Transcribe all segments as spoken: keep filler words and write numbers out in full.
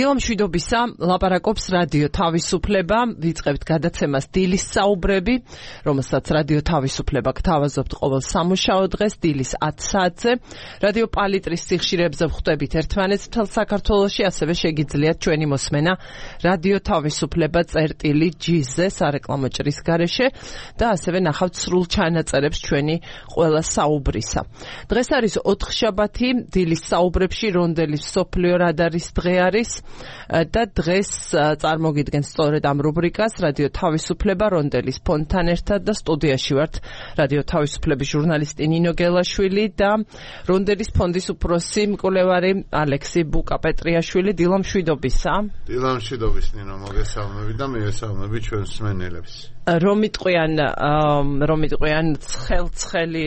დილა მშვიდობისა, ლაპარაკობს რადიო თავისუფლება, ვიწყებთ გადაცემას დილის საუბრები, რომელსაც რადიო თავისუფლება გთავაზობთ ყოველ სამუშაო დღეს დილის ათი საათზე. რადიო პალიტრის სიხშირეებზე ვხვდებით ერთმანეთს მთელ საქართველოში, ასევე შეგიძლიათ ჩვენი მოსმენა რადიო თავისუფლება წერტილი ჯი-ზე სარეკლამო ჭრის გარეშე და ასევე ნახავთ სრულ ჩანაწერებს ჩვენი ყველა საუბრისა. დღეს არის ოთხშაბათი, დილის საუბრებში რონდელის მსოფლიო რადარის დღე არის და დღეს წარმოგიდგენთ სწორედ ამ რუბრიკას რადიო თავისუფლება რონდელის ფონდთან ერთად და სტუდიაში ვართ რადიო თავისუფლების ჟურნალისტი ნინო გელაშვილი და რონდელის ფონდის უფროსი მკვლევარი ალექსი ბუკა-პეტრიაშვილი. დილა მშვიდობისა. დილა მშვიდობის ნინო, მოგესალმები და მივესალმები ჩვენს მსმენელებს. რომ იტყვიან რომ იტყვიან ცხელ-ცხელი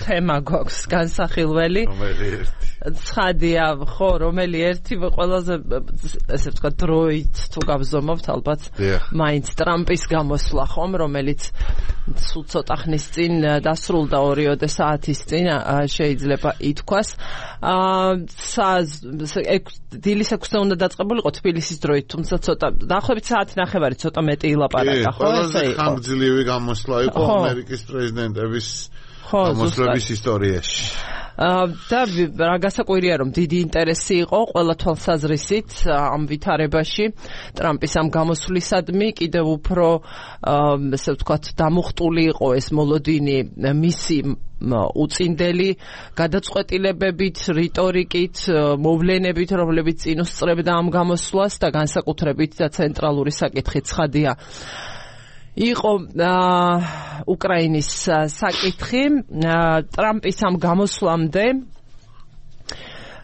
თემა გვაქვს განსახილველი. რომელი ერთი? ცხადია, ხო, რომელი ერთი ყველაზე ესე ვთქვათ დროით თუ გავზომავთ ალბათ მაინც ტრამპის გამოსვლა ხომ, რომელიც სულ ცოტა ხნის წინ დასრულდა ორიოდე საათის წინ შეიძლება ითქვას. დილის ექვსზე უნდა დაწყებულიყო თბილისის დროით, თუმცა ცოტა დაახლოებით საათი ნახევარი ცოტა მეტი ილაპარაკა, ხო? ყველაზე ხანგრძლივი გამოსვლა იყო ამერიკის პრეზიდენტების გამოსვლების ისტორიაში. და რა გასაკვირია რომ დიდი ინტერესი იყო ყველა თვალსაზრისით ამ ვითარებაში ტრამპის ამ გამოსვლისადმი კიდევ უფრო ესე ვთქვათ დამუხტული იყო ეს მოლოდინი მისი უწინდელი გადაწყვეტილებებით, რიტორიკით, მოვლენებით, რომლებიც წინ უსწრებდა ამ გამოსვლას და განსაკუთრებით და ცენტრალური საკითხი ცხადია იყო უკრაინის საკითხი. ტრამპის ამ გამოსვლამდე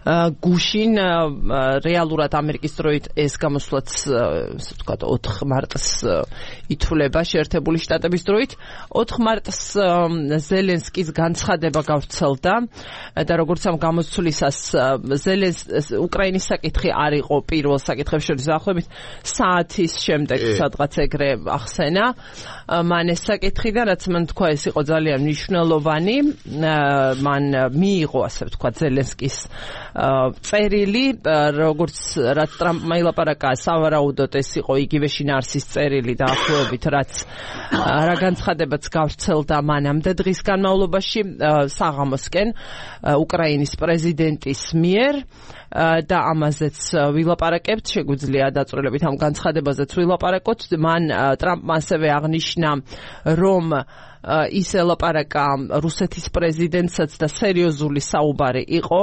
გუშინ რეალურად ამერიკის დროით ეს გამოსვლაც ასე ვთქვათ ოთხ მარტს ითვლება შეერთებული შტატების დროით. ოთხ მარტს ზელენსკის განცხადება გავრცელდა და როგორც ამ გამოსვლისას ზელენსკის უკრაინის საკითხი არ იყო პირველ საკითხებს შორის, დაახლოებით საათის შემდეგ სადღაც ეგრე ახსენა მან ეს საკითხი და რაც მან თქვა ეს იყო ძალიან მნიშვნელოვანი. მან მიიღო ასე ვთქვათ ზელენსკის წერილი, როგორც რაც ტრამპმა ილაპარაკა, სავარაუდოდ ეს იყო იგივე შინაარსის წერილი დაახლოებით, რაც რა განცხადებაც გავრცელდა მანამდე დღის განმავლობაში საღამოსკენ უკრაინის პრეზიდენტის მიერ და ამაზეც ვილაპარაკებთ, შეგვიძლია დაწვრილებით ამ განცხადებაზეც ვილაპარაკოთ. მან ტრამპმა ასევე აღნიშნა, რომ ის ელაპარაკა რუსეთის პრეზიდენტსაც და სერიოზული საუბარი იყო.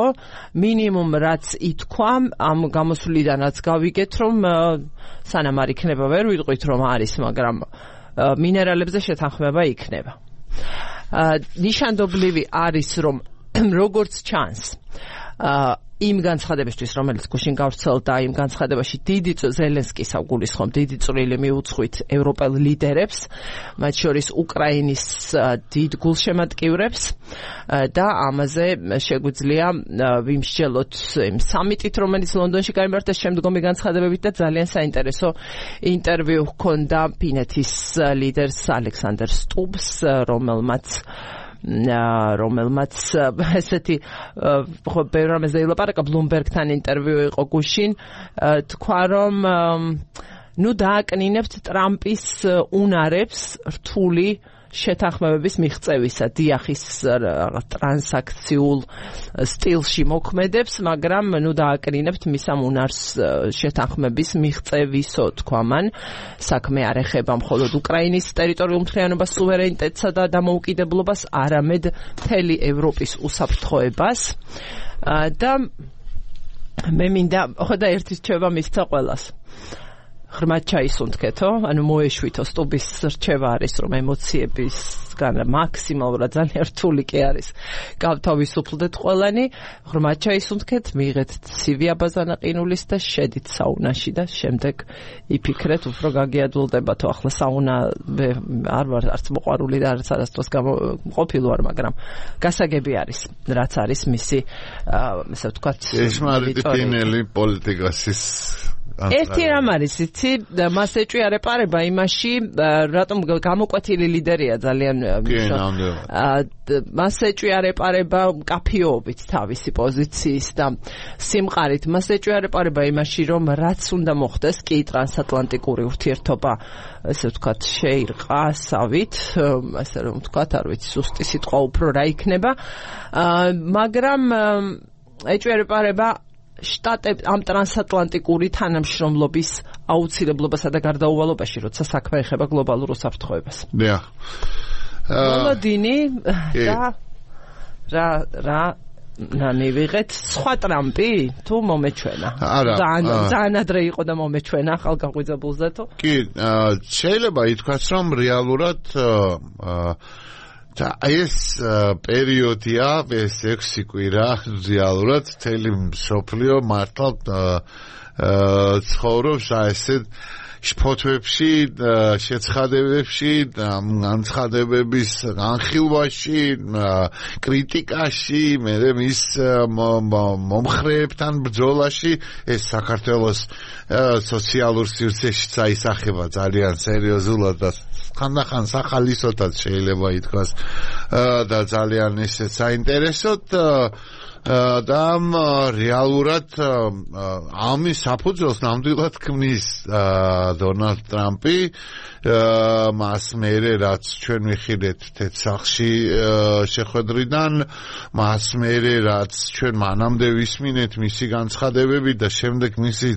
მინიმუმ რაც ითქვა ამ გამოსვლიდანაც გავიგეთ, რომ სანამ არ იქნება ვერ ვიტყვით რომ არის, მაგრამ მინერალებზე შეთანხმება იქნება. ნიშანდობლივი არის რომ როგორც ჩანს იმ განცხადებისთვის, რომელიც გუშინ გავრცელდა, იმ განცხადებაში დიდი ზელენსკის გულისხმობ დიდი წვლილი მიუძღვით ევროპელ ლიდერებს, მათ შორის უკრაინის დიდ გულშემატკივრებს და ამაზე შეგვიძლია ვიმსჯელოთ იმ სამიტით, რომელიც ლონდონში გაიმართა შემდგომი განცხადებებით და ძალიან საინტერესო ინტერვიუ ჰქონდა ფინეთის ლიდერს ალექსანდერ სტუბს, რომელმაც რომელმაც ესეთი ხო ბევრ რამეზე ილაპარაკა, ბლუმბერგთან ინტერვიუ იყო გუშინ, თქვა რომ ნუ დააკნინებთ ტრამპის უნარებს რთული შეთანხმებების მიღწევისა, დიახის ტრანსაქციულ სტილში მოქმედებს, მაგრამ ნუ დააკნინებთ მის ამ უნარს შეთანხმების მიღწევისო, თქვა მან. საქმე არ ეხება მხოლოდ უკრაინის ტერიტორიულ მთლიანობას, სუვერენიტეტსა და დამოუკიდებლობას, არამედ მთელი ევროპის უსაფრთხოებას. და მე მინდა ხო და ერთის რჩევა მისცა ყველას. ღრმად ჩაისუნთქეთო, ანუ მოეშვითო, სტუბის რჩევა არის, რომ ემოციებისგან მაქსიმალურად ძალიან რთული კი არის გავთავისუფლდეთ ყველანი, ღრმად ჩაისუნთქეთ, მიიღეთ ცივი აბაზანაყინულის და შედით საუნაში და შემდეგ იფიქრეთ, უფრო გაგიადვილდებათო. ახლა საუნა არ ვარ არც მოყვარული და არც არასდროს ყოფილი ვარ, მაგრამ გასაგები არის, რაც არის მისი ესე ვთქვათ ესმარიტინელი პოლიტიკასის ერთი რამ არის, იცი, მას ეჭვი არ ეპარება იმაში, რატომ გამოკვეთილი ლიდერია ძალიან მას ეჭვიარეპარება მკაფიობით თავისი პოზიციის და სიმყარით, მას ეჭვიარეპარება იმაში, რომ რაც უნდა მოხდეს კი ტრანსატლანტიკური ურთიერთობა, ესე ვთქვათ, შეირყასავით, ასე რომ ვთქვათ, არ ვიცი, სუსტი სიტყვა უფრო რა იქნება, მაგრამ ეჭვიარეპარება შტატებ ამ ტრანსატლანტიკური თანამშრომლობის აუცილებლობასა და გარდაუვალობაში, როცა საქმე ეხება გლობალურ უსაფრთხოებას. დიახ. მოლოდინი და რა რა ნანი ვიღეთ სხვა ტრამპი თუ მომეჩვენა. ძალიან ძალიან ადრე იყო და მომეჩვენა ახალგაღვიძებულზე თუ? კი, შეიძლება ითქვას, რომ რეალურად და ეს პერიოდია, ეს ექვსი კვირა რეალურად თელი მსოფლიო მართლა ცხოვრობს ასეთ შფოთვებში, შეცხადებებში, განცხადებების განხილვაში, კრიტიკაში, მე მის მომხრეებთან ბრძოლაში, ეს საქართველოს სოციალურ სივრცეში წაისახება ძალიან სერიოზულად და ხანდახან სახალისოთაც შეიძლება ითქვას და ძალიან ისე საინტერესოდ და რეალურად ამის საფუძველს ნამდვილად ქმნის დონალდ ტრამპი მას მერე რაც ჩვენ ვიხილეთ თეთრსახში შეხვედრიდან მას მერე რაც ჩვენ მანამდე ვისმინეთ მისი განცხადებები და შემდეგ მისი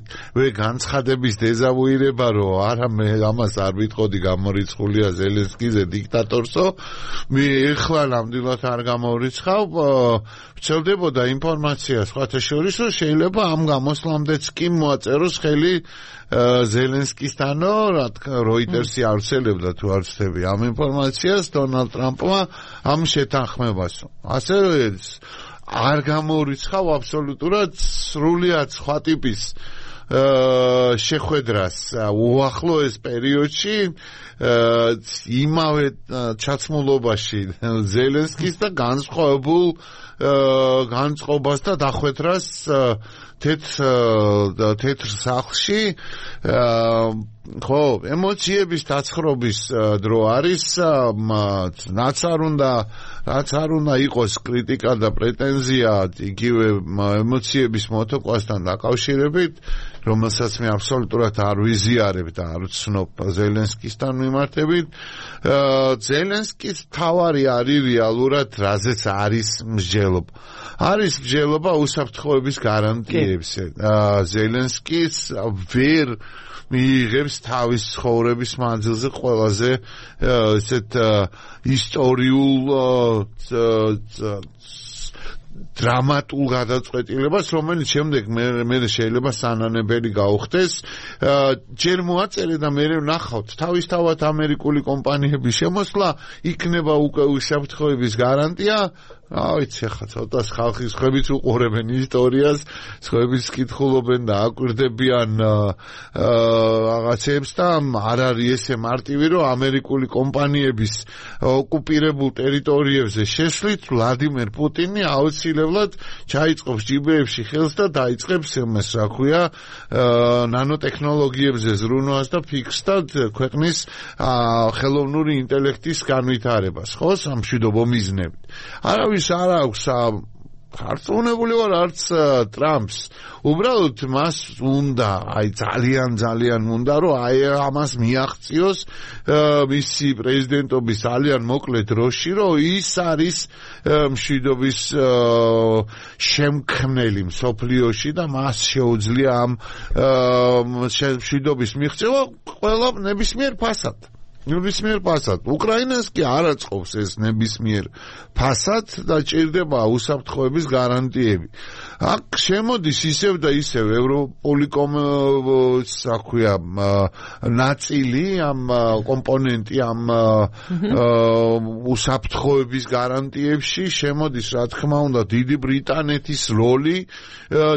განცხადების დეზავუირება რომ არა მე ამას არ ვიტყოდი გამორიცხულია ზელენსკიზე დიქტატორსო მე ეხლა ნამდვილად არ გამორიცხავ ვცელდებოდა ინფორმაცია სხვათა შორის რომ შეიძლება ამ გამოსვლამდეც კი მოაწეროს ხელი ზელენსკისთანო რა თქმა როიტერსი ავრცელებდა თუ არ ვცდები ამ ინფორმაციას დონალდ ტრამპმა ამ შეთანხმებასო ასე არ გამორიცხავ აბსოლუტურად სრულიად სხვა ტიპის შეხვედრას უახლოეს პერიოდში იმავე ჩაცმულობაში ზელენსკის და განსხვავებულ განწყობას და დახვედრას თეთრ თეთრ სახლში ხო ემოციების დაცხრობის დრო არის რაც არ უნდა რაც არ უნდა იყოს კრიტიკა და პრეტენზია იგივე ემოციების მოტოყვასთან დაკავშირებით რომელსაც მე აბსოლუტურად არ ვიზიარებ და არ ვცნობ ზელენსკისთან მიმართებით ზელენსკის თავარი არის რეალურად რაზეც არის მსჯელობა არის მსჯელობა უსაფრთხოების გარანტიებზე ზელენსკის ვერ მიიღებს თავის ცხოვრების მანძილზე ყველაზე ესეთ ისტორიულ დრამატულ გადაწყვეტილებას, რომელიც შემდეგ მე მე შეიძლება სანანებელი გაუხდეს. ჯერ მოაწერე და მე ვნახავთ თავისთავად ამერიკული კომპანიების შემოსვლა იქნება უკვე უსაფრთხოების გარანტია. რა ვიცი ხა ცოტა ხალხის ხებიც უყურებენ ისტორიას, ხებიც კითხულობენ და აკვირდებიან რაღაცებს და არ არის ესე მარტივი რომ ამერიკული კომპანიების ოკუპირებულ ტერიტორიებზე შეშლით ვლადიმერ პუტინი აუცილებლად ჩაიწყობს ჯიბეებში ხელს და დაიწყებს იმას რა ქვია ნანოტექნოლოგიებზე ზრუნვას და ფიქსად ქვეყნის ხელოვნური ინტელექტის განვითარებას ხო სამშვიდობო მიზნებით არავის არ აქვს ხარწმუნებული ვარ არც ტრამპს უბრალოდ მას უნდა აი ძალიან ძალიან უნდა რომ აი ამას მიაღწიოს მისი პრეზიდენტობის ძალიან მოკლე დროში რომ ის არის მშვიდობის შემქმნელი მსოფლიოში და მას შეუძლია ამ მშვიდობის მიღწევა ყველა ნებისმიერ ფასად ნებისმიერ ფასად. უკრაინას კი არ აწყობს ეს ნებისმიერ ფასად და ჭირდება უსაფრთხოების გარანტიები. აქ შემოდის ისევ და ისევ ევროპული საქვია ნაწილი ამ კომპონენტი ამ უსაფრთხოების გარანტიებში შემოდის რა თქმა უნდა დიდი ბრიტანეთის როლი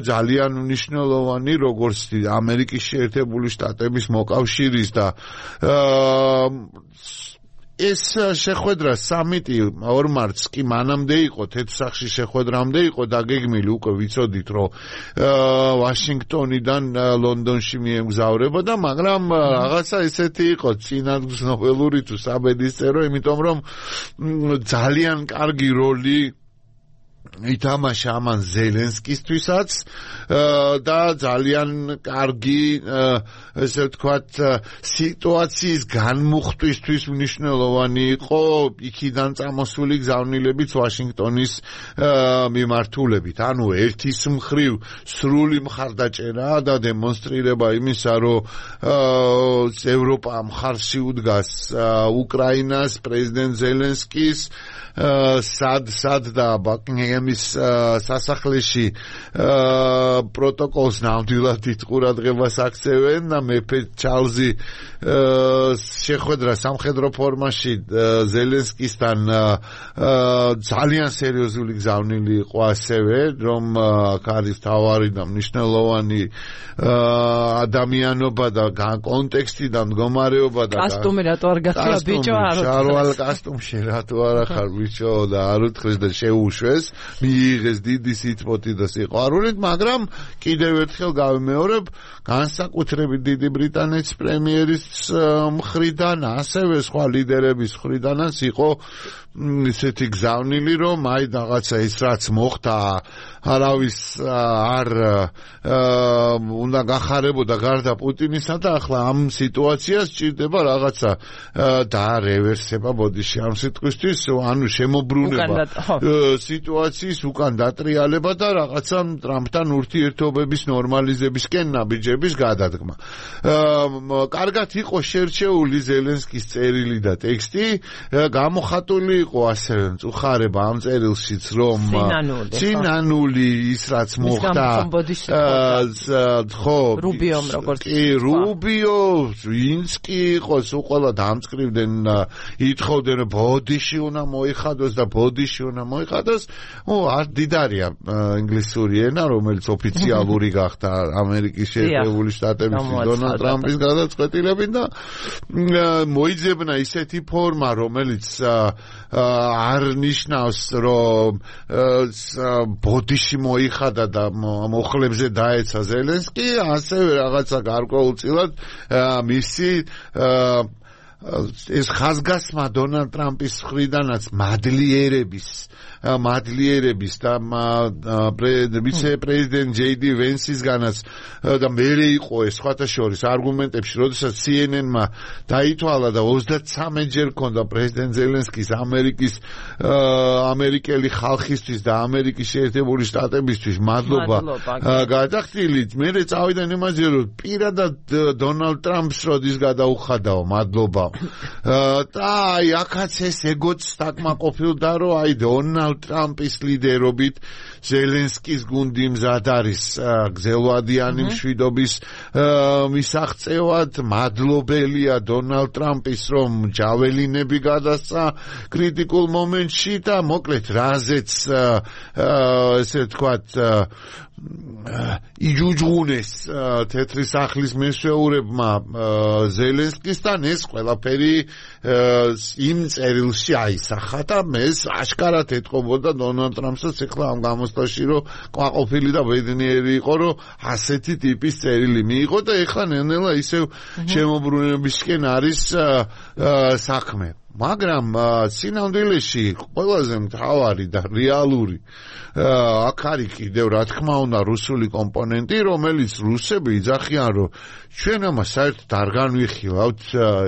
ძალიან მნიშვნელოვანი როგორც ამერიკის შეერთებული შტატების მოკავშირის და ეს შეხვედრა სამიტი ორ მარტს კი მანამდე იყო, თეთრსახში შეხვედრამდე იყო დაგეგმილი, უკვე ვიცოდით, რომ ვაშინგტონიდან ლონდონში მიემგზავრებოდა, მაგრამ რაღაცა ესეთი იყო, წინადღწნობელური თუ საბედისწერო, იმიტომ რომ ძალიან კარგი როლი ითამაშა ამან ზელენსკისთვისაც და ძალიან კარგი ესე ვთქვათ სიტუაციის განმუხტვისთვის მნიშვნელოვანი იყო იქიდან წამოსული გზავნილებიც ვაშინგტონის მიმართულებით. ანუ ერთის მხრივ სრული მხარდაჭერა და დემონსტრირება იმისა, რომ ევროპა მხარში უდგას უკრაინას, პრეზიდენტ ზელენსკის სად სად და ბაკინგემის სასახლეში პროტოკოლს ნამდვილად იტყურადღებას აქცევენ და მეფე ჩარლზი შეხვედრა სამხედრო ფორმაში ზელენსკისთან ძალიან სერიოზული გზავნილი იყო ასევე, რომ არის თავარი და მნიშვნელოვანი ადამიანობა და კონტექსტი და მდგომარეობა და კასტუმი რატო არ გახდა ბიჭო არ შარვალ კასტუმში რატო არ ახარ ბიჭო და არ უთხრეს და შეუშვეს, მიიღეს დიდი სიტყვოთი და სიყვარულით, მაგრამ კიდევ ერთხელ გავიმეორებ, განსაკუთრებით დიდი ბრიტანეთის პრემიერის მხრიდან, ასევე სხვა ლიდერების მხრიდანაც იყო ისეთი გზავნილი, რომ აი რაღაცა ის რაც მოხდა, არავის არ უნდა გახარებოდა გარდა პუტინისა და ახლა ამ სიტუაციას ჭირდება რაღაცა დაარევერსება ბოდიში ამ სიტყვისთვის, ანუ შემოbrunება სიტუაციის უკან დატრიალება და რაღაცა ტრამპთან ურთიერთობების ნორმალიზებისკენ ნაბიჯების გადადგმა. კარგად იყო შერჩეული ზელენსკის წერილი და ტექსტი, გამოხატული იყო ასევე მწუხარება ამ წერილშიც, რომ ცინანული ის რაც მოხდა ხო რუბიომ როგორც კი რუბიო ვინც კი იყოს უყოლა დამწკრივდნენ ითხოვდნენ რომ ბოდიში უნდა მოიხადოს და ბოდიში უნდა მოიხადოს. ო არ დიდარია ინგლისური ენა, რომელიც ოფიციალური გახდა ამერიკის შეერთებული შტატების დონალდ ტრამპის გადაწყვეტილებით და მოიძებნა ისეთი ფორმა, რომელიც არ ნიშნავს, რომ ბოდიში მოიხადა და მოხლებზე დაეცა ზელენსკი, ასევე რაღაცა გარკვეულწილად მისი ეს ხაზგასმა დონალდ ტრამპის მხრიდანაც მადლიერების მადლიერების და ვიცე-პრეზიდენტ ჯეი დი ვენსისგანაც და მერე იყო ეს სხვათა შორის არგუმენტებში, როდესაც სი ენ ენ-მა დაითვალა და ოცდათსამი ჯერ ქონდა პრეზიდენტ ზელენსკის ამერიკის ამერიკელი ხალხისთვის და ამერიკის შეერთებული შტატებისთვის მადლობა გადახდილი, მერე წავიდა იმაზე, რომ პირადად დონალდ ტრამპს როდის გადაუხადაო მადლობა და აი აქაც ეს ეგოც დაკმაყოფილდა, რომ აი დონალდ ტრამპის ლიდერობით ზელენსკის გუნდი მზად არის გზელვადიანი მშვიდობის მისაღწევად, მადლობელია დონალდ ტრამპის, რომ ჯაველინები გადასცა კრიტიკულ მომენტში და მოკლედ რაზეც ესე ვთქვათ იჯუჯღუნეს თეთრი სახლის მეშვეურებმა ზელენსკისთან, ეს ყველაფერი იმ წერილში აისახა და ეს აშკარად ეთყობოდა დონალდ ტრამპსაც ეხლა ამ გამოსვლაში, რომ ყვაყოფილი და ბედნიერი იყო, რომ ასეთი ტიპის წერილი მიიღო და ეხლა ნელ-ნელა ისევ შემოbrunებისკენ არის საქმე. მაგრამ სინამდვილეში ყველაზე მთავარი და რეალური აქ არის კიდევ რა თქმა უნდა რუსული კომპონენტი, რომელიც რუსები იძახიან, რომ ჩვენ ამას საერთოდ არ განვიხილავთ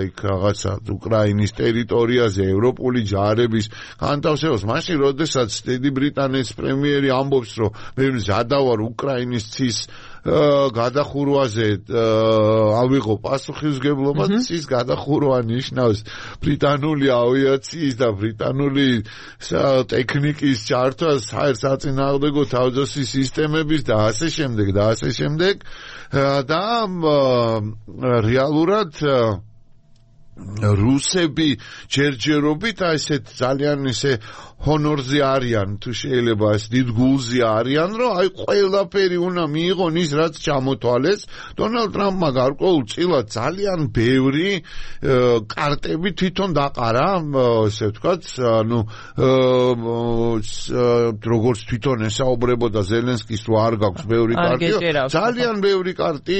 იქ რაღაცა უკრაინის ტერიტორიაზე ევროპული ჯარების განთავსებას. მაშინ როდესაც დიდი ბრიტანეთის პრემიერი ამბობს, რომ მე მზადავარ უკრაინის ცის გადახურვაზე ავიღო პასუხისმგებლობა, ცის გადახურვა ნიშნავს ბრიტანული ავიაციის და ბრიტანული ტექნიკის ჩართვას, საწინააღმდეგო თავდაცვის სისტემების და ასე შემდეგ და ასე შემდეგ და რეალურად რუსები ჯერჯერობით აი ესეთ ძალიან ისე ჰონორზე არიან თუ შეიძლება ეს დიდ გულზე არიან რომ აი ყველაფერი უნდა მიიღონ ის რაც ჩამოთვალეს დონალდ ტრამპმა გარკვეულწილად ძალიან ბევრი კარტები თვითონ დაყარა ესე ვთქვათ ანუ როგორც თვითონ ესაუბრებოდა ზელენსკის რომ არ გაქვს ბევრი კარტი ძალიან ბევრი კარტი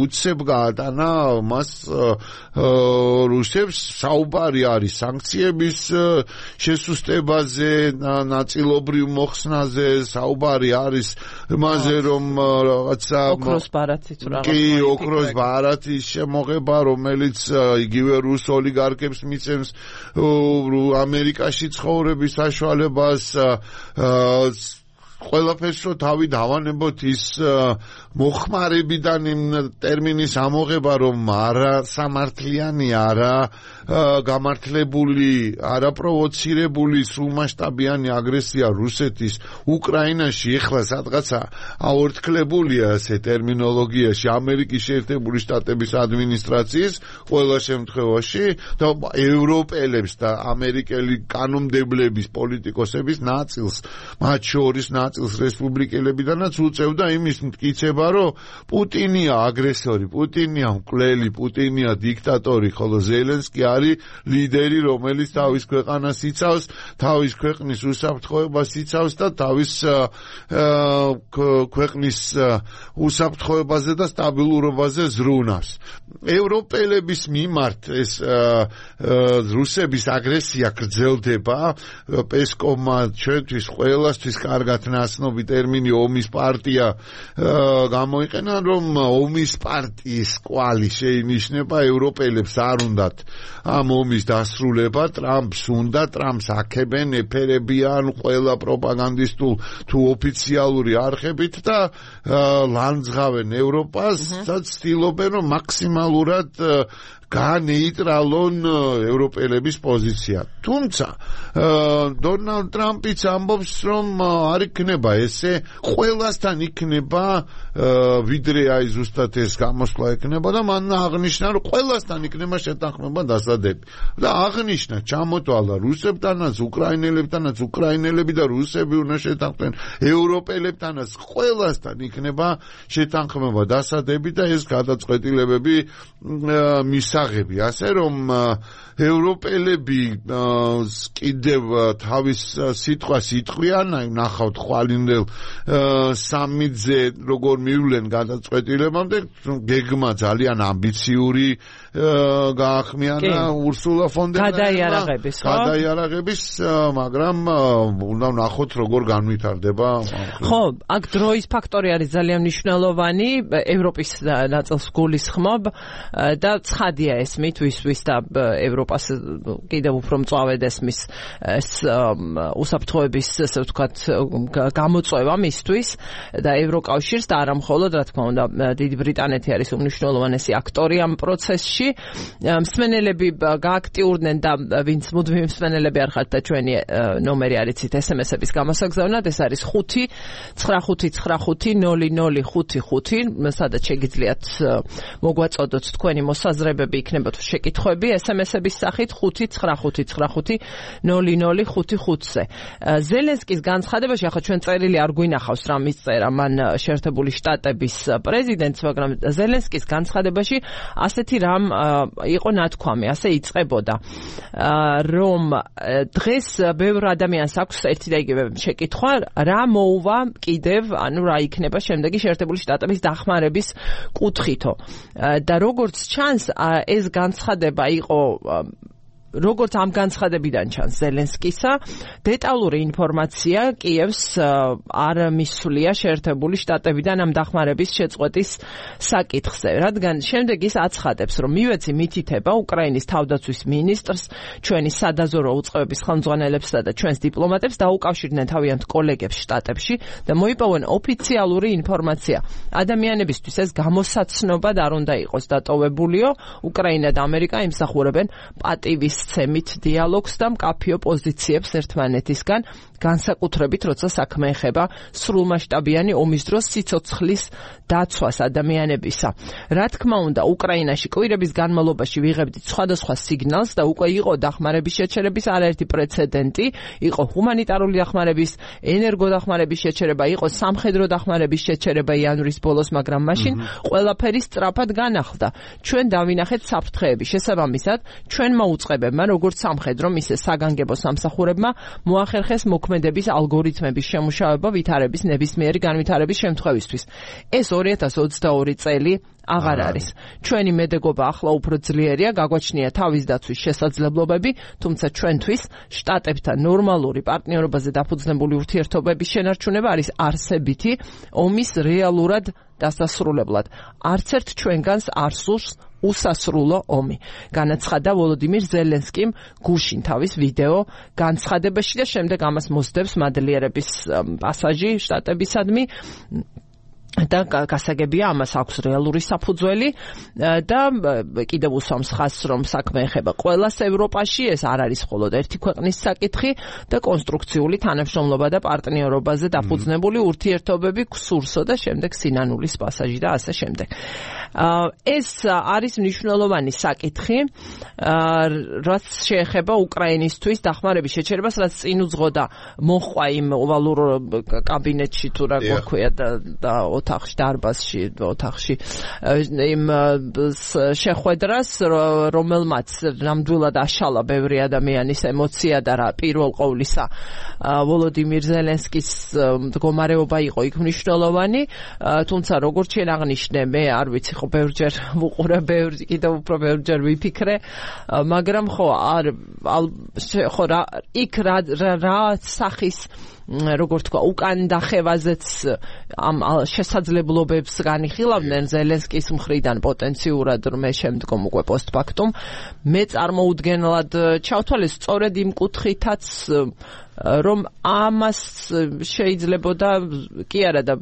უცებ გაატანა მას რუსებს საუბარი არის სანქციების შესუსტებაზე ნაწილობრივ მოხსნაზე საუბარი არის იმაზე რომ რაღაცა ოქროს ბარათით რაღაც კი ოქროს ბარათის შემოღება რომელიც იგივე რუს ოლიგარქებს მიცემს ამერიკაში ცხოვრების საშუალებას ყველაფერს რო თავი დავანებოთ ის მოხმარებიდან იმ ტერმინის ამოღება რომ არა სამართლიანი არა გამართლებული არა პროვოცირებული სრულმასშტაბიანი აგრესია რუსეთის უკრაინაში ეხლა სადღაცა აორთქლებულია ესე ტერმინოლოგიაში ამერიკის შეერთებული შტატების ადმინისტრაციის ყველა შემთხვევაში და ევროპელებს და ამერიკელი კანონმდებლების პოლიტიკოსების ნაწილს მათ შორის ნაწილს რესპუბლიკელებიდანაც უწევდა იმის მტკიცება რომ პუტინია აგრესორი პუტინია მკვლელი პუტინია დიქტატორი ხოლო ზელენსკი არის ლიდერი რომელიც თავის ქვეყანას იცავს თავის ქვეყნის უსაფრთხოებას იცავს და თავის ქვეყნის უსაფრთხოებაზე და სტაბილურობაზე ზრუნავს ევროპელების მიმართ ეს რუსების აგრესია გრძელდება პესკოვმა ჩვენთვის ყველასთვის კარგად ნაცნობი ტერმინი ომის პარტია გამოიყენა რომ ომის პარტიის კვალი შეინიშნება ევროპელებს არ უნდათ ამ ომის დასრულება ტრამპს უნდა ტრამპს აქებენ ეფერებიან ყველა პროპაგანდისტულ თუ ოფიციალური არხებით და ლანძღავენ ევროპას და ცდილობენ რომ მაქსიმალურად განეიტრალონ ევროპელების პოზიცია. თუმცა დონალდ ტრამპიც ამბობს რომ არ იქნება ესე ყველასთან იქნება ვიდრე აი ზუსტად ეს გამოსვლა იქნება და მან აღნიშნა რომ ყველასთან იქნება შეთანხმება დასადები და აღნიშნა ჩამოთვალა რუსებთანაც უკრაინელებთანაც უკრაინელები და რუსები უნდა შეთანხმდნენ ევროპელებთანაც ყველასთან იქნება შეთანხმება დასადები და ეს გადაწყვეტილებები მის ასე რომ ევროპელები კიდევ თავის სიტყვას იტყვიან, აი ნახავთ ხვალინდელ სამიძე როგორ მივლენ გადაწყვეტილებამდე, გეგმა ძალიან ამბიციური გაახმიანა ურსულა ფონ დერ გადაიარაღების, ხო? გადაიარაღების, მაგრამ უნდა ვნახოთ როგორ განვითარდება. ხო, აქ დროის ფაქტორი არის ძალიან მნიშვნელოვანი, ევროპის ნაწილს გულისხმობ და ცხადია ესმით ვის და ევროპას კიდევ უფრო მწვავედ ესმის ეს უსაფრთხოების ესე ვთქვათ გამოწვევა მისთვის და ევროკავშირს და არა მხოლოდ რა თქმა უნდა დიდი ბრიტანეთი არის უმნიშვნელოვანესი აქტორი ამ პროცესში მსმენელები გააქტიურდნენ და ვინც მუდმივი მსმენელები არ ხართ და ჩვენი ნომერი არიცით ესემესების გამოსაგზავნად ეს არის ხუთი ცხრა ხუთი ცხრა ხუთი ნული ნული ხუთი ხუთი სადაც შეგიძლიათ მოგვაწოდოთ თქვენი მოსაზრებები იქნება თუ შეკითხვები ესემესების სახით ხუთი ცხრა ხუთი ცხრა ხუთი ნული ნული ხუთი ხუთზე ზელენსკის განცხადებაში ახლა ჩვენ წერილი არ გვინახავს რა მისწერა მან შეერთებული შტატების პრეზიდენტს მაგრამ ზელენსკის განცხადებაში ასეთი რამ იყო ნათქვამი ასე იწყებოდა რომ დღეს ბევრ ადამიანს აქვს ერთი და იგივე შეკითხვა რა მოუვა კიდევ ანუ რა იქნება შემდეგი შეერთებული შტატების დახმარების კუთხითო და როგორც ჩანს ეს განცხადება იყო როგორც ამ განცხადებიდან ჩანს ზელენსკისა დეტალური ინფორმაცია კიევს არ მისვლია შეერთებული შტატებიდან ამ დახმარების შეწყვეტის საკითხზე რადგან შემდეგ ის აცხადებს რომ მივეცი მითითება უკრაინის თავდაცვის მინისტრს ჩვენი სადაზორო უწყებების ხელმძღვანელებსა და ჩვენს დიპლომატებს დაუკავშირდნენ თავიანთ კოლეგებს შტატებში და მოიპოვონ ოფიციალური ინფორმაცია ადამიანებისთვის ეს გამოსაცნობად არ უნდა იყოს დატოვებულიო უკრაინა და ამერიკა იმსახურებენ პატივის მისცემით დიალოგს და მკაფიო პოზიციებს ერთმანეთისგან, განსაკუთრებით როცა საქმე ეხება სრულმასშტაბიანი ომის დროს სიცოცხლის დაცვას ადამიანებისა. რა თქმა უნდა, უკრაინაში კვირების განმავლობაში ვიღებდით სხვადასხვა სიგნალს და უკვე იყო დახმარების შეჩერების არაერთი პრეცედენტი, იყო ჰუმანიტარული დახმარების, ენერგოდახმარების შეჩერება, იყო სამხედრო დახმარების შეჩერება იანვრის ბოლოს, მაგრამ მაშინ ყველაფერი სწრაფად განახლდა. ჩვენ დავინახეთ საფრთხეები. შესაბამისად, ჩვენმა უწყებებმა, როგორც სამხედრომ, ისე საგანგებო სამსახურებმა მოახერხეს მოქმედების ალგორითმების შემუშავება ვითარების ნებისმიერი განვითარების შემთხვევისთვის. ეს ორი ათას ოცდაორი წელი აღარ არის. ჩვენი მედეგობა ახლა უფრო ძლიერია, გაგვაჩნია თავის დაცვის შესაძლებლობები, თუმცა ჩვენთვის შტატებთან ნორმალური პარტნიორობაზე დაფუძნებული ურთიერთობების შენარჩუნება არის არსებითი ომის რეალურად დასასრულებლად. არც ერთ ჩვენგანს არ სურს უსასრულო ომი. განაცხადა ვოლოდიმირ ზელენსკიმ გუშინ თავის ვიდეო განცხადებაში და შემდეგ ამას მოსდევს მადლიერების პასაჟი შტატებისადმი. და გასაგებია ამას აქვს რეალური საფუძველი და კიდევ უსვამს ხაზს, რომ საქმე ეხება ყველას ევროპაში, ეს არ არის მხოლოდ ერთი ქვეყნის საკითხი და კონსტრუქციული თანამშრომლობა და პარტნიორობაზე დაფუძნებული ურთიერთობები გსურსო და შემდეგ სინანულის პასაჟი და ასე შემდეგ. ეს არის მნიშვნელოვანი საკითხი, რაც შეეხება უკრაინისთვის დახმარების შეჩერებას, რაც წინ უძღოდა მოხვა იმ ოვალურ კაბინეტში თუ რა გვქვია და ოთახში, დარბაზში, ოთახში იმ შეხვედრას, რომელმაც ნამდვილად აშალა ბევრი ადამიანის ემოცია და რა პირველ ყოვლისა ვოლოდიმირ ზელენსკის მდგომარეობა იყო იქ მნიშვნელოვანი, თუმცა როგორც შენ აღნიშნე, მე არ ვიცი ხო ბევრჯერ ვუყურე, ბევრი კიდევ უფრო ბევრჯერ ვიფიქრე, მაგრამ ხო არ ხო რა იქ რა რა სახის როგორ თქვა, უკან დახევაზეც ამ შესაძლებლობებს განიხილავდნენ ზელენსკის მხრიდან პოტენციურად, მე შემდგომ უკვე პოსტფაქტუმ მე წარმოუდგენლად ჩავთვალე სწორედ იმ კუთხითაც, რომ ამას შეიძლებოდა კი არა და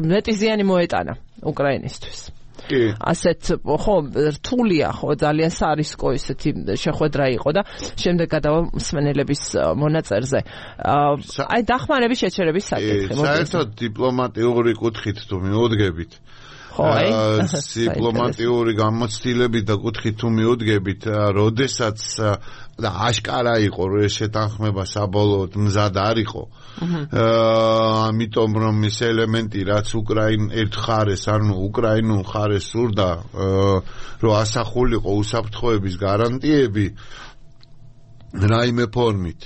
მეტი ზიანი მოეტანა უკრაინისთვის. ასეთ ხო რთულია, ხო ძალიან სარისკო ისეთი შეხვედრა იყო და შემდეგ გადავა მსმენელების მონაწერზე. აი დახმარების შეჩერების საკითხი. საერთოდ დიპლომატიური კუთხით თუ მიუდგებით, დიპლომატიური გამოცდილებით და კუთხით თუ მიუდგებით, როდესაც და აშკარა იყო, რომ ეს შეთანხმება საბოლოოდ მზად არ იყო. ამიტომ რომ ეს ელემენტი, რაც უკრაინ ერთ ხარეს, ანუ უკრაინულ ხარეს სურდა, რომ ასახულიყო უსაფრთხოების გარანტიები რაიმე ფორმით,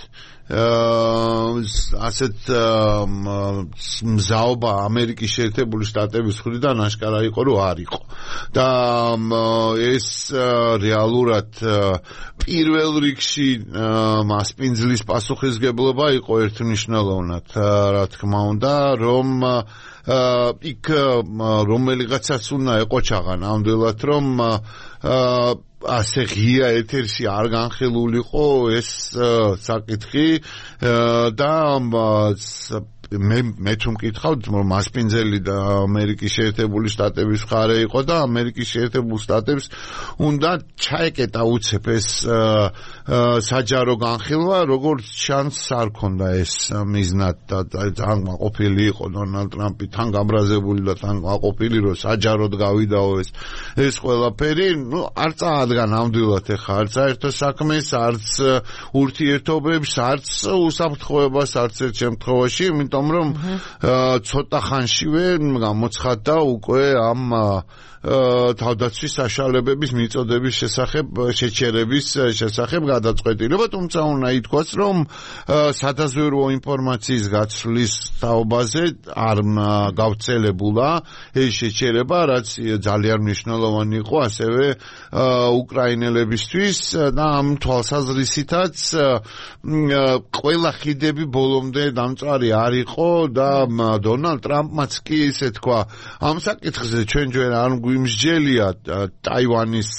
ასეთ მზაობა ამერიკის შეერთებული შტატების მხრიდან აშკარა იყო, რომ არ იყო. და ეს რეალურად პირველ რიგში მასპინძლის პასუხისგებლობა იყო ერთმნიშვნელოვნად, რა თქმა უნდა, რომ იქ რომელიღაცაც უნდა ეყოჩაღა ნამდვილად, რომ ასე ღია ეთერში არ განხილულიყო ეს საკითხი და მე მე თუ მკითხავთ, რომ მასპინძელი და ამერიკის შეერთებული შტატების მხარე იყო და ამერიკის შეერთებულ შტატებს უნდა ჩაეკეტა უცებ ეს საჯარო განხილვა, როგორც შანსს არ ქონდა ეს მიზნად და თან გაყოფილი იყო დონალდ ტრამპი, თან გაბრაზებული და თან გაყოფილი, რომ საჯაროდ გავიდაო ეს ეს ყველაფერი, ნუ არ წაადგა ნამდვილად ეხა არც საერთო საქმეს, არც ურთიერთობებს, არც უსაფრთხოებას, არც ერთ შემთხვევაში, იმიტომ რომ ცოტა ხანშივე გამოცხადდა უკვე ამ თავდაცვის საშუალებების მიწოდების შესახებ შეჩერების შესახებ გადაწყვეტილება, თუმცა უნდა ითქვას, რომ სადაზვერვო ინფორმაციის გაცვლის თაობაზე არ გავრცელებულა ეს შეჩერება, რაც ძალიან მნიშვნელოვანი იყო ასევე უკრაინელებისთვის და ამ თვალსაზრისითაც ყველა ხიდები ბოლომდე დამწვარი არ იყო იყო და დონალდ ტრამპმაც კი ისე თქვა ამ საკითხზე ჩვენ ჯერ არ გვიმსჯელია ტაივანის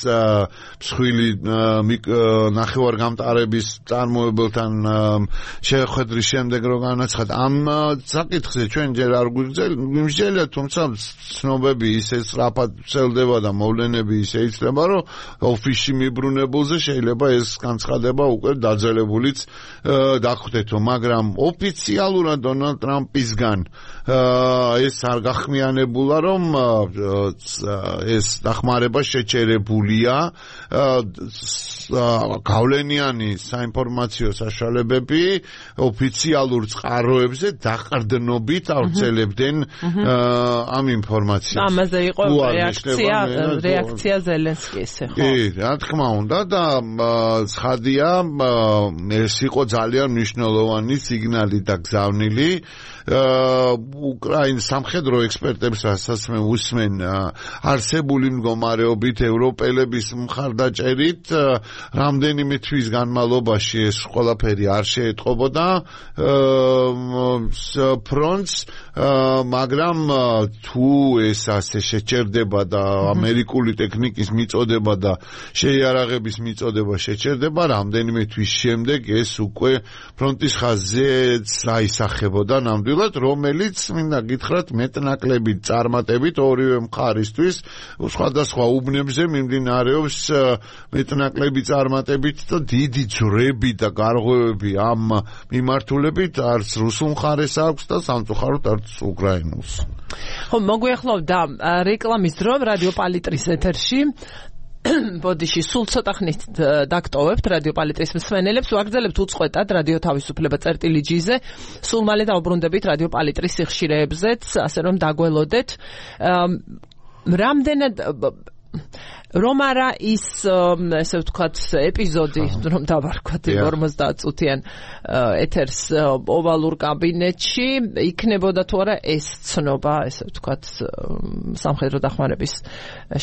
მსხვილი ნახევარგამტარების წარმოებელთან შეხვედრის შემდეგ რო განაცხადა ამ საკითხზე ჩვენ ჯერ არ გვიმსჯელია თუმცა ცნობები ისე სწრაფად ვრცელდება და მოვლენები ისე იცლება რომ ოფისში მიბრუნებულზე შეიძლება ეს განცხადება უკვე დაძელებულიც დახვდეთო მაგრამ ოფიციალურად დონალდ ტრამპისგან ეს არ გახმიანებულა რომ ეს დახმარება შეჩერებულია გავლენიანი საინფორმაციო საშუალებები ოფიციალურ წყაროებზე დაყრდნობით ავრცელებდნენ ამ ინფორმაციას ამაზე იყო რეაქცია რეაქცია ზელენსკის ხო კი რა თქმა უნდა და ცხადია ეს იყო ძალიან მნიშვნელოვანი სიგნალი და გზავნილი უკრაინის სამხედრო ექსპერტებსაც მე უსმენ არსებული მდგომარეობით ევროპელების მხარდაჭერით რამდენიმე თვის განმავლობაში ეს ყველაფერი არ შეეტყობოდა ფრონტს მაგრამ თუ ეს ასე შეჩერდება და ამერიკული ტექნიკის მიწოდება და შეიარაღების მიწოდება შეჩერდება რამდენიმე თვის შემდეგ ეს უკვე ფრონტის ხაზზე აისახებოდა ნამდვილად რომელიც მინდა გითხრათ მეტნაკლებით წარმატებით ორივე მხარისთვის სხვადასხვა უბნებზე მიმდინარეობს მეტნაკლები წარმატებით და დიდი ძვრები და გარღვევები ამ მიმართულებით არც რუსულ მხარეს აქვს და სამწუხაროდ არც უკრაინულს. ხო მოგვიახლოვდა რეკლამის დრო რადიო პალიტრის ეთერში ბოდიში სულ ცოტა ხნით დაგტოვებთ რადიო პალიტრის მსმენელებს ვაგრძელებთ უწყვეტად რადიო თავისუფლება წერტილი ჯიზე სულ მალე დავბრუნდებით რადიო პალიტრის სიხშირეებზეც ასე რომ დაგველოდეთ რამდენად რომ არა ის ესე ვთქვათ ეპიზოდი რომ დავარქვათ ორმოცდაათ წუთიან ეთერს ოვალურ კაბინეტში იქნებოდა თუ არა ეს ცნობა ესე ვთქვათ სამხედრო დახმარების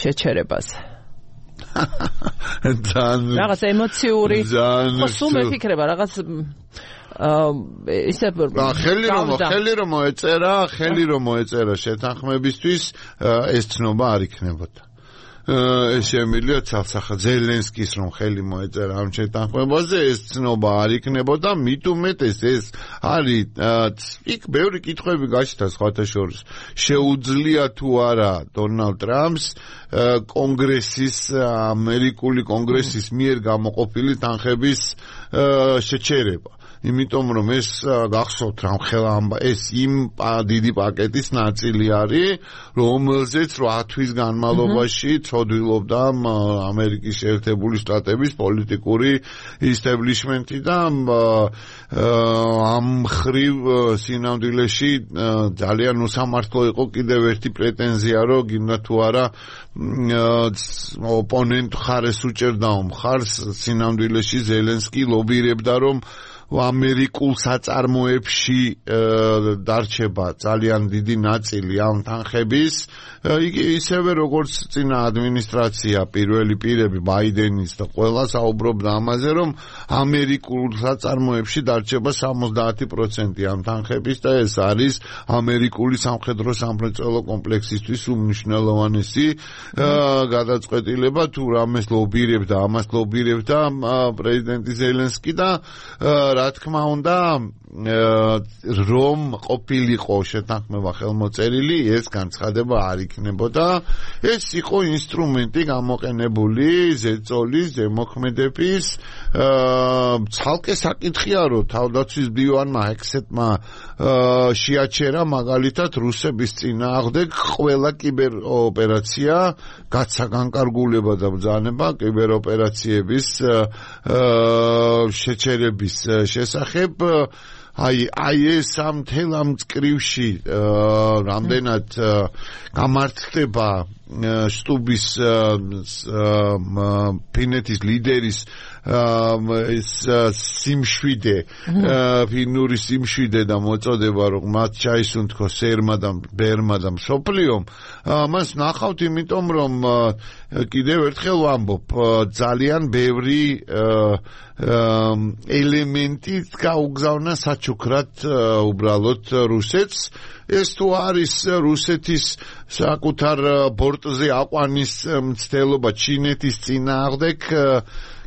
შეჩერებაზე რაღაც ემოციური ხო სულ მიფიქრება რაღაც ისე ხელი რომ ხელი რომ მოეწერა ხელი რომ მოეწერა შეთანხმებისთვის ეს ცნობა არ იქნებოდა ეს შემიძლია ცალსახა ზელენსკის რომ ხელი მოეწერა ამ შეთანხმებაზე ეს ცნობა არ იქნებოდა მით უმეტეს ეს არის იქ ბევრი კითხვები გაჩნდა სხვათა შორის შეუძლია თუ არა დონალდ ტრამპს კონგრესის ამერიკული კონგრესის მიერ გამოყოფილი თანხების შეჩერება იმიტომ რომ ეს გახსოვთ რამ ხელა ეს იმ დიდი პაკეტის ნაწილი არის რომელზეც რვა თვის განმავლობაში ცოდვილობდა ამერიკის შეერთებული შტატების პოლიტიკური ისტაბლიშმენტი და ამ მხრივ სინამდვილეში ძალიან უსამართლო იყო კიდევ ერთი პრეტენზია რომ გინდა თუ არა ოპონენტ ხარეს უჭერდაო მხარს სინამდვილეში ზელენსკი ლობირებდა რომ ამერიკულ საწარმოებში დარჩება ძალიან დიდი ნაწილი ამ თანხების იგი ისევე როგორც წინა ადმინისტრაცია პირველი პირები ბაიდენის და ყველა საუბრობდა ამაზე რომ ამერიკულ საწარმოებში დარჩება სამოცდაათი პროცენტი ამ თანხების და ეს არის ამერიკული სამხედრო სამრეწველო კომპლექსისთვის უმნიშვნელოვანესი გადაწყვეტილება თუ რამეს ლობირებდა ამას ლობირებდა პრეზიდენტი ზელენსკი და რა თქმა უნდა რომ ყოფილიყო შეთანხმება ხელმოწერილი ეს განცხადება არ იქნებოდა ეს იყო ინსტრუმენტი გამოყენებული ზეწოლის ზემოქმედების ცალკე საკითხია რომ თავდაცვის დივანმა ექსეტმა შეაჩერა მაგალითად რუსების წინააღმდეგ ყველა კიბეროპერაცია გაცა განკარგულება და ბრძანება კიბეროპერაციების შეჩერების შესახებ აი აი ეს ამ თელ ამ წკრივში რამდენად გამართლდება სტუბის ფინეთის ლიდერის ეს სიმშვიდე ფინური სიმშვიდე და მოწოდება რომ მათ ჩაისუნთქო სერმა და ბერმა და მსოფლიომ მას ნახავთ იმიტომ რომ კიდევ ერთხელ ვამბობ ძალიან ბევრი ელემენტი გაუგზავნა საჩუქრად უბრალოდ რუსეთს ეს თუ არის რუსეთის საკუთარ ბორტზე აყვანის მცდელობა ჩინეთის წინააღმდეგ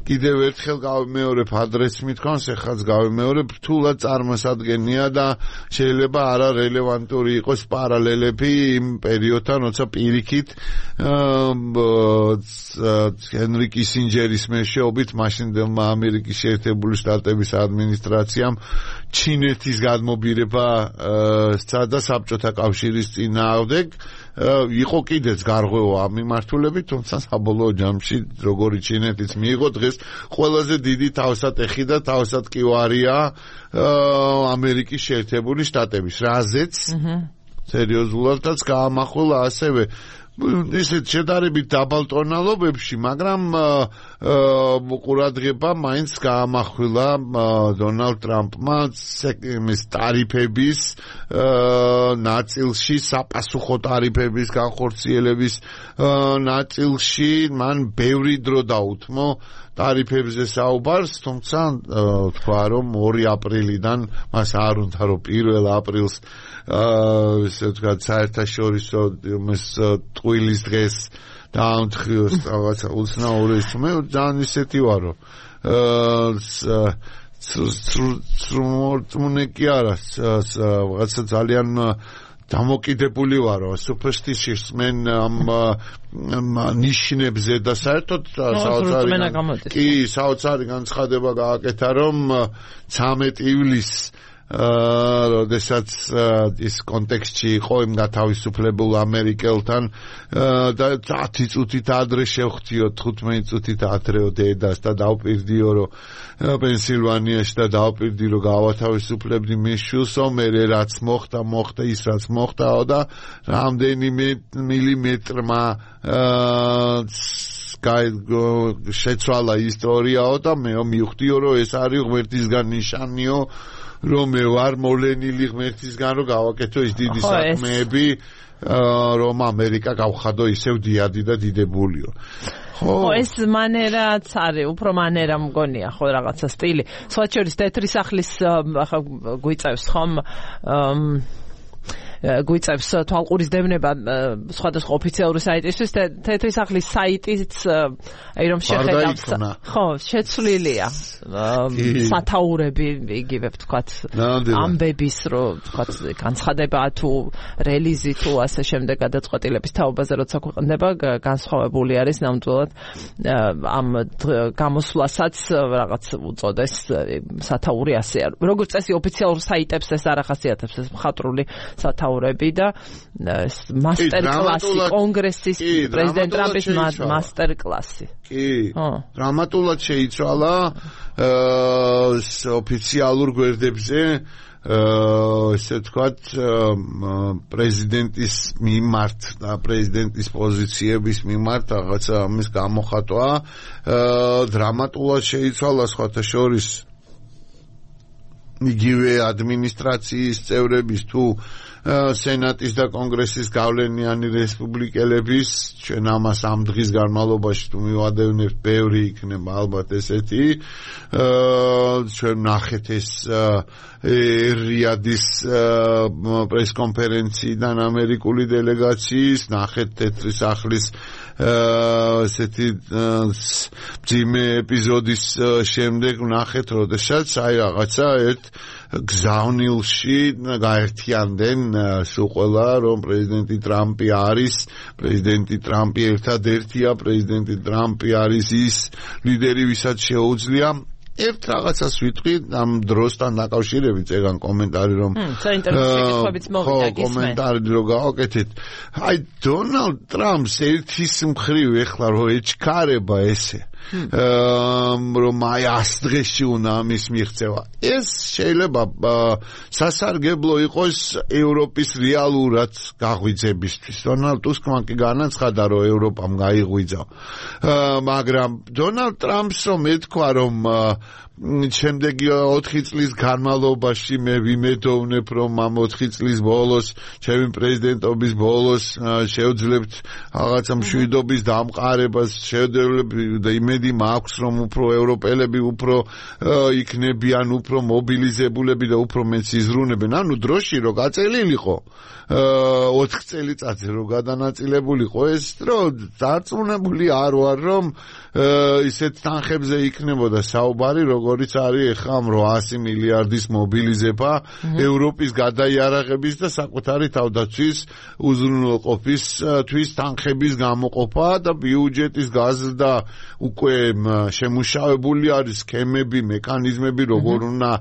კიდევ ერთხელ გავიმეორებ ადრესს მithქვამს, ეხლაც გავიმეორებ, რთულად წარმოსადგენია და შეიძლება არა რელევანტური იყოს პარალელები იმ პერიოდთან, როცა პირიქით ჰენრი კისინჯერის მეშვეობით მაშინდელმა ამერიკის შეერთებული შტატების ადმინისტრაციამ ჩინეთის გადმობირება სცადა საბჭოთა კავშირის წინააღმდეგ იყო კიდეც გარღვევა ამ მიმართულებით, თუმცა საბოლოო ჯამში როგორი ჩინეთიც მიიღო დღეს ყველაზე დიდი თავსატეხი და თავსატკივარია ამერიკის შეერთებული შტატების, რაზეც სერიოზულადაც გაამახვილა ასევე ისეთ შედარებით დაბალ ტონალობებში, მაგრამ ყურადღება მაინც გაამახვილა დონალდ ტრამპმა იმის ტარიფების ნაწილში, საპასუხო ტარიფების განხორციელების ნაწილში მან ბევრი დრო დაუთმო ტარიფებზე საუბარს, თუმცა თქვა რომ ორი აპრილიდან მას არ უნდა რომ პირველ აპრილს ესე ვთქვათ საერთაშორისო იმის ტყუილის დღეს დაამთხიოს რაღაცა უცნაური ის მე ძალიან ისეთი ვარო სრუმორწმუნე კი არა რაღაცა ძალიან დამოკიდებული ვარო superstitious men ამ ნიშნებზე და საერთოდ საოცარი კი საოცარი განცხადება გააკეთა რომ ცამეტი ივლისს როდესაც ის კონტექსტში იყო იმ გათავისუფლებულ ამერიკელთან და ათი წუთით ადრე შევხვდიო თხუთმეტი წუთით ადრეო დედას და დავპირდიო რომ პენსილვანიაში და დავპირდი რომ გავათავისუფლებდი მის შვილსო მე რაც მოხდა მოხდა ის რაც მოხდაო და რამდენიმე მილიმეტრმა შეცვალა ისტორიაო და მე მივხვდიო რომ ეს არის ღმერთისგან ნიშანიო რომ მე ვარ მოვლენილი ღმერთისგან რომ გავაკეთო ის დიდი საქმეები რომ ამერიკა გავხადო ისევ დიადი და დიდებულიო ხო ეს მანერაც არის უფრო მანერა მგონია ხო რაღაცა სტილი სხვა შორის თეთრი სახლის ახლა გვიწევს ხომ გვიწევს თვალყურის დევნება სხვადასხვა ოფიციალური საიტისთვის თეთრი სახლის საიტიც აი რომ შეხედავს ხო შეცვლილია სათაურები იგივე ვთქვათ ამბების რომ ვთქვათ განცხადება თუ რელიზი თუ ასე შემდეგ გადაწყვეტილების თაობაზე როცა ქვეყნდება განსხვავებული არის ნამდვილად ამ გამოსვლასაც რაღაც უწოდეს სათაური ასე როგორც წესი ოფიციალურ საიტებს ეს არ ახასიათებს ეს მხატვრული სათაური და მასტერ კლასი კონგრესის პრეზიდენტ ტრამპის მასტერ კლასი. კი. დრამატულად შეიცვალა ოფიციალურ გვერდებზე ესე ვთქვათ პრეზიდენტის მიმართ და პრეზიდენტის პოზიციების მიმართ რაღაცა ამის გამოხატვა დრამატულად შეიცვალა სხვათა შორის იგივე ადმინისტრაციის წევრების თუ სენატის და კონგრესის გავლენიანი რესპუბლიკელების ჩვენ ამას ამ დღის განმავლობაში თუ მივადევნებთ ბევრი იქნება ალბათ ესეთი ჩვენ ნახეთ ეს რიადის პრესკონფერენციიდან ამერიკული დელეგაციის ნახეთ თეთრი სახლის ესეთი ძიმე ეპიზოდის შემდეგ ნახეთ როდესაც აი რაღაცა ერთ გზავნილში გაერთიანდნენ სულ ყველა რომ პრეზიდენტი ტრამპი არის პრეზიდენტი ტრამპი ერთადერთია პრეზიდენტი ტრამპი არის ის ლიდერი ვისაც შეუძლია ერთ რაღაცას ვიტყვი ამ დროსთან დაკავშირებით ეგან კომენტარი რომ ხო კომენტარი რომ გავაკეთეთ აი დონალდ ტრამპს ერთის მხრივ ეხლა რომ ეჩქარება ესე რომ აი ას დღეში უნდა ამის მიღწევა. ეს შეიძლება სასარგებლო იყოს ევროპის რეალურად გაღვიძებისთვის. დონალდ ტუსკმა კი განაცხადა, რომ ევროპამ გაიღვიძა. მაგრამ დონალდ ტრამპს რომ ეთქვა, რომ შემდეგი ოთხი წლის განმავლობაში მე ვიმედოვნებ, რომ ამ ოთხი წლის ბოლოს, ჩემი პრეზიდენტობის ბოლოს შევძლებთ რაღაცა მშვიდობის დამყარებას, შევძლებთ და იმედი მაქვს, რომ უფრო ევროპელები უფრო იქნებიან, უფრო მობილიზებულები და უფრო მეც იზრუნებენ. ანუ დროში რო გაწელილიყო ოთხ წელიწადზე რო გადანაწილებულიყო ეს დრო დარწმუნებული არ ვარ, რომ ისეთ თანხებზე იქნებოდა საუბარი, როგორიც არის ახლა რვაასი მილიარდის მობილიზება ევროპის გადაიარაღების და საკუთარი თავდაცვის უზრუნველყოფისთვის თანხების გამოყოფა და ბიუჯეტის გაზრდა უკვე შემუშავებული არის სქემები, მექანიზმები, როგორ უნდა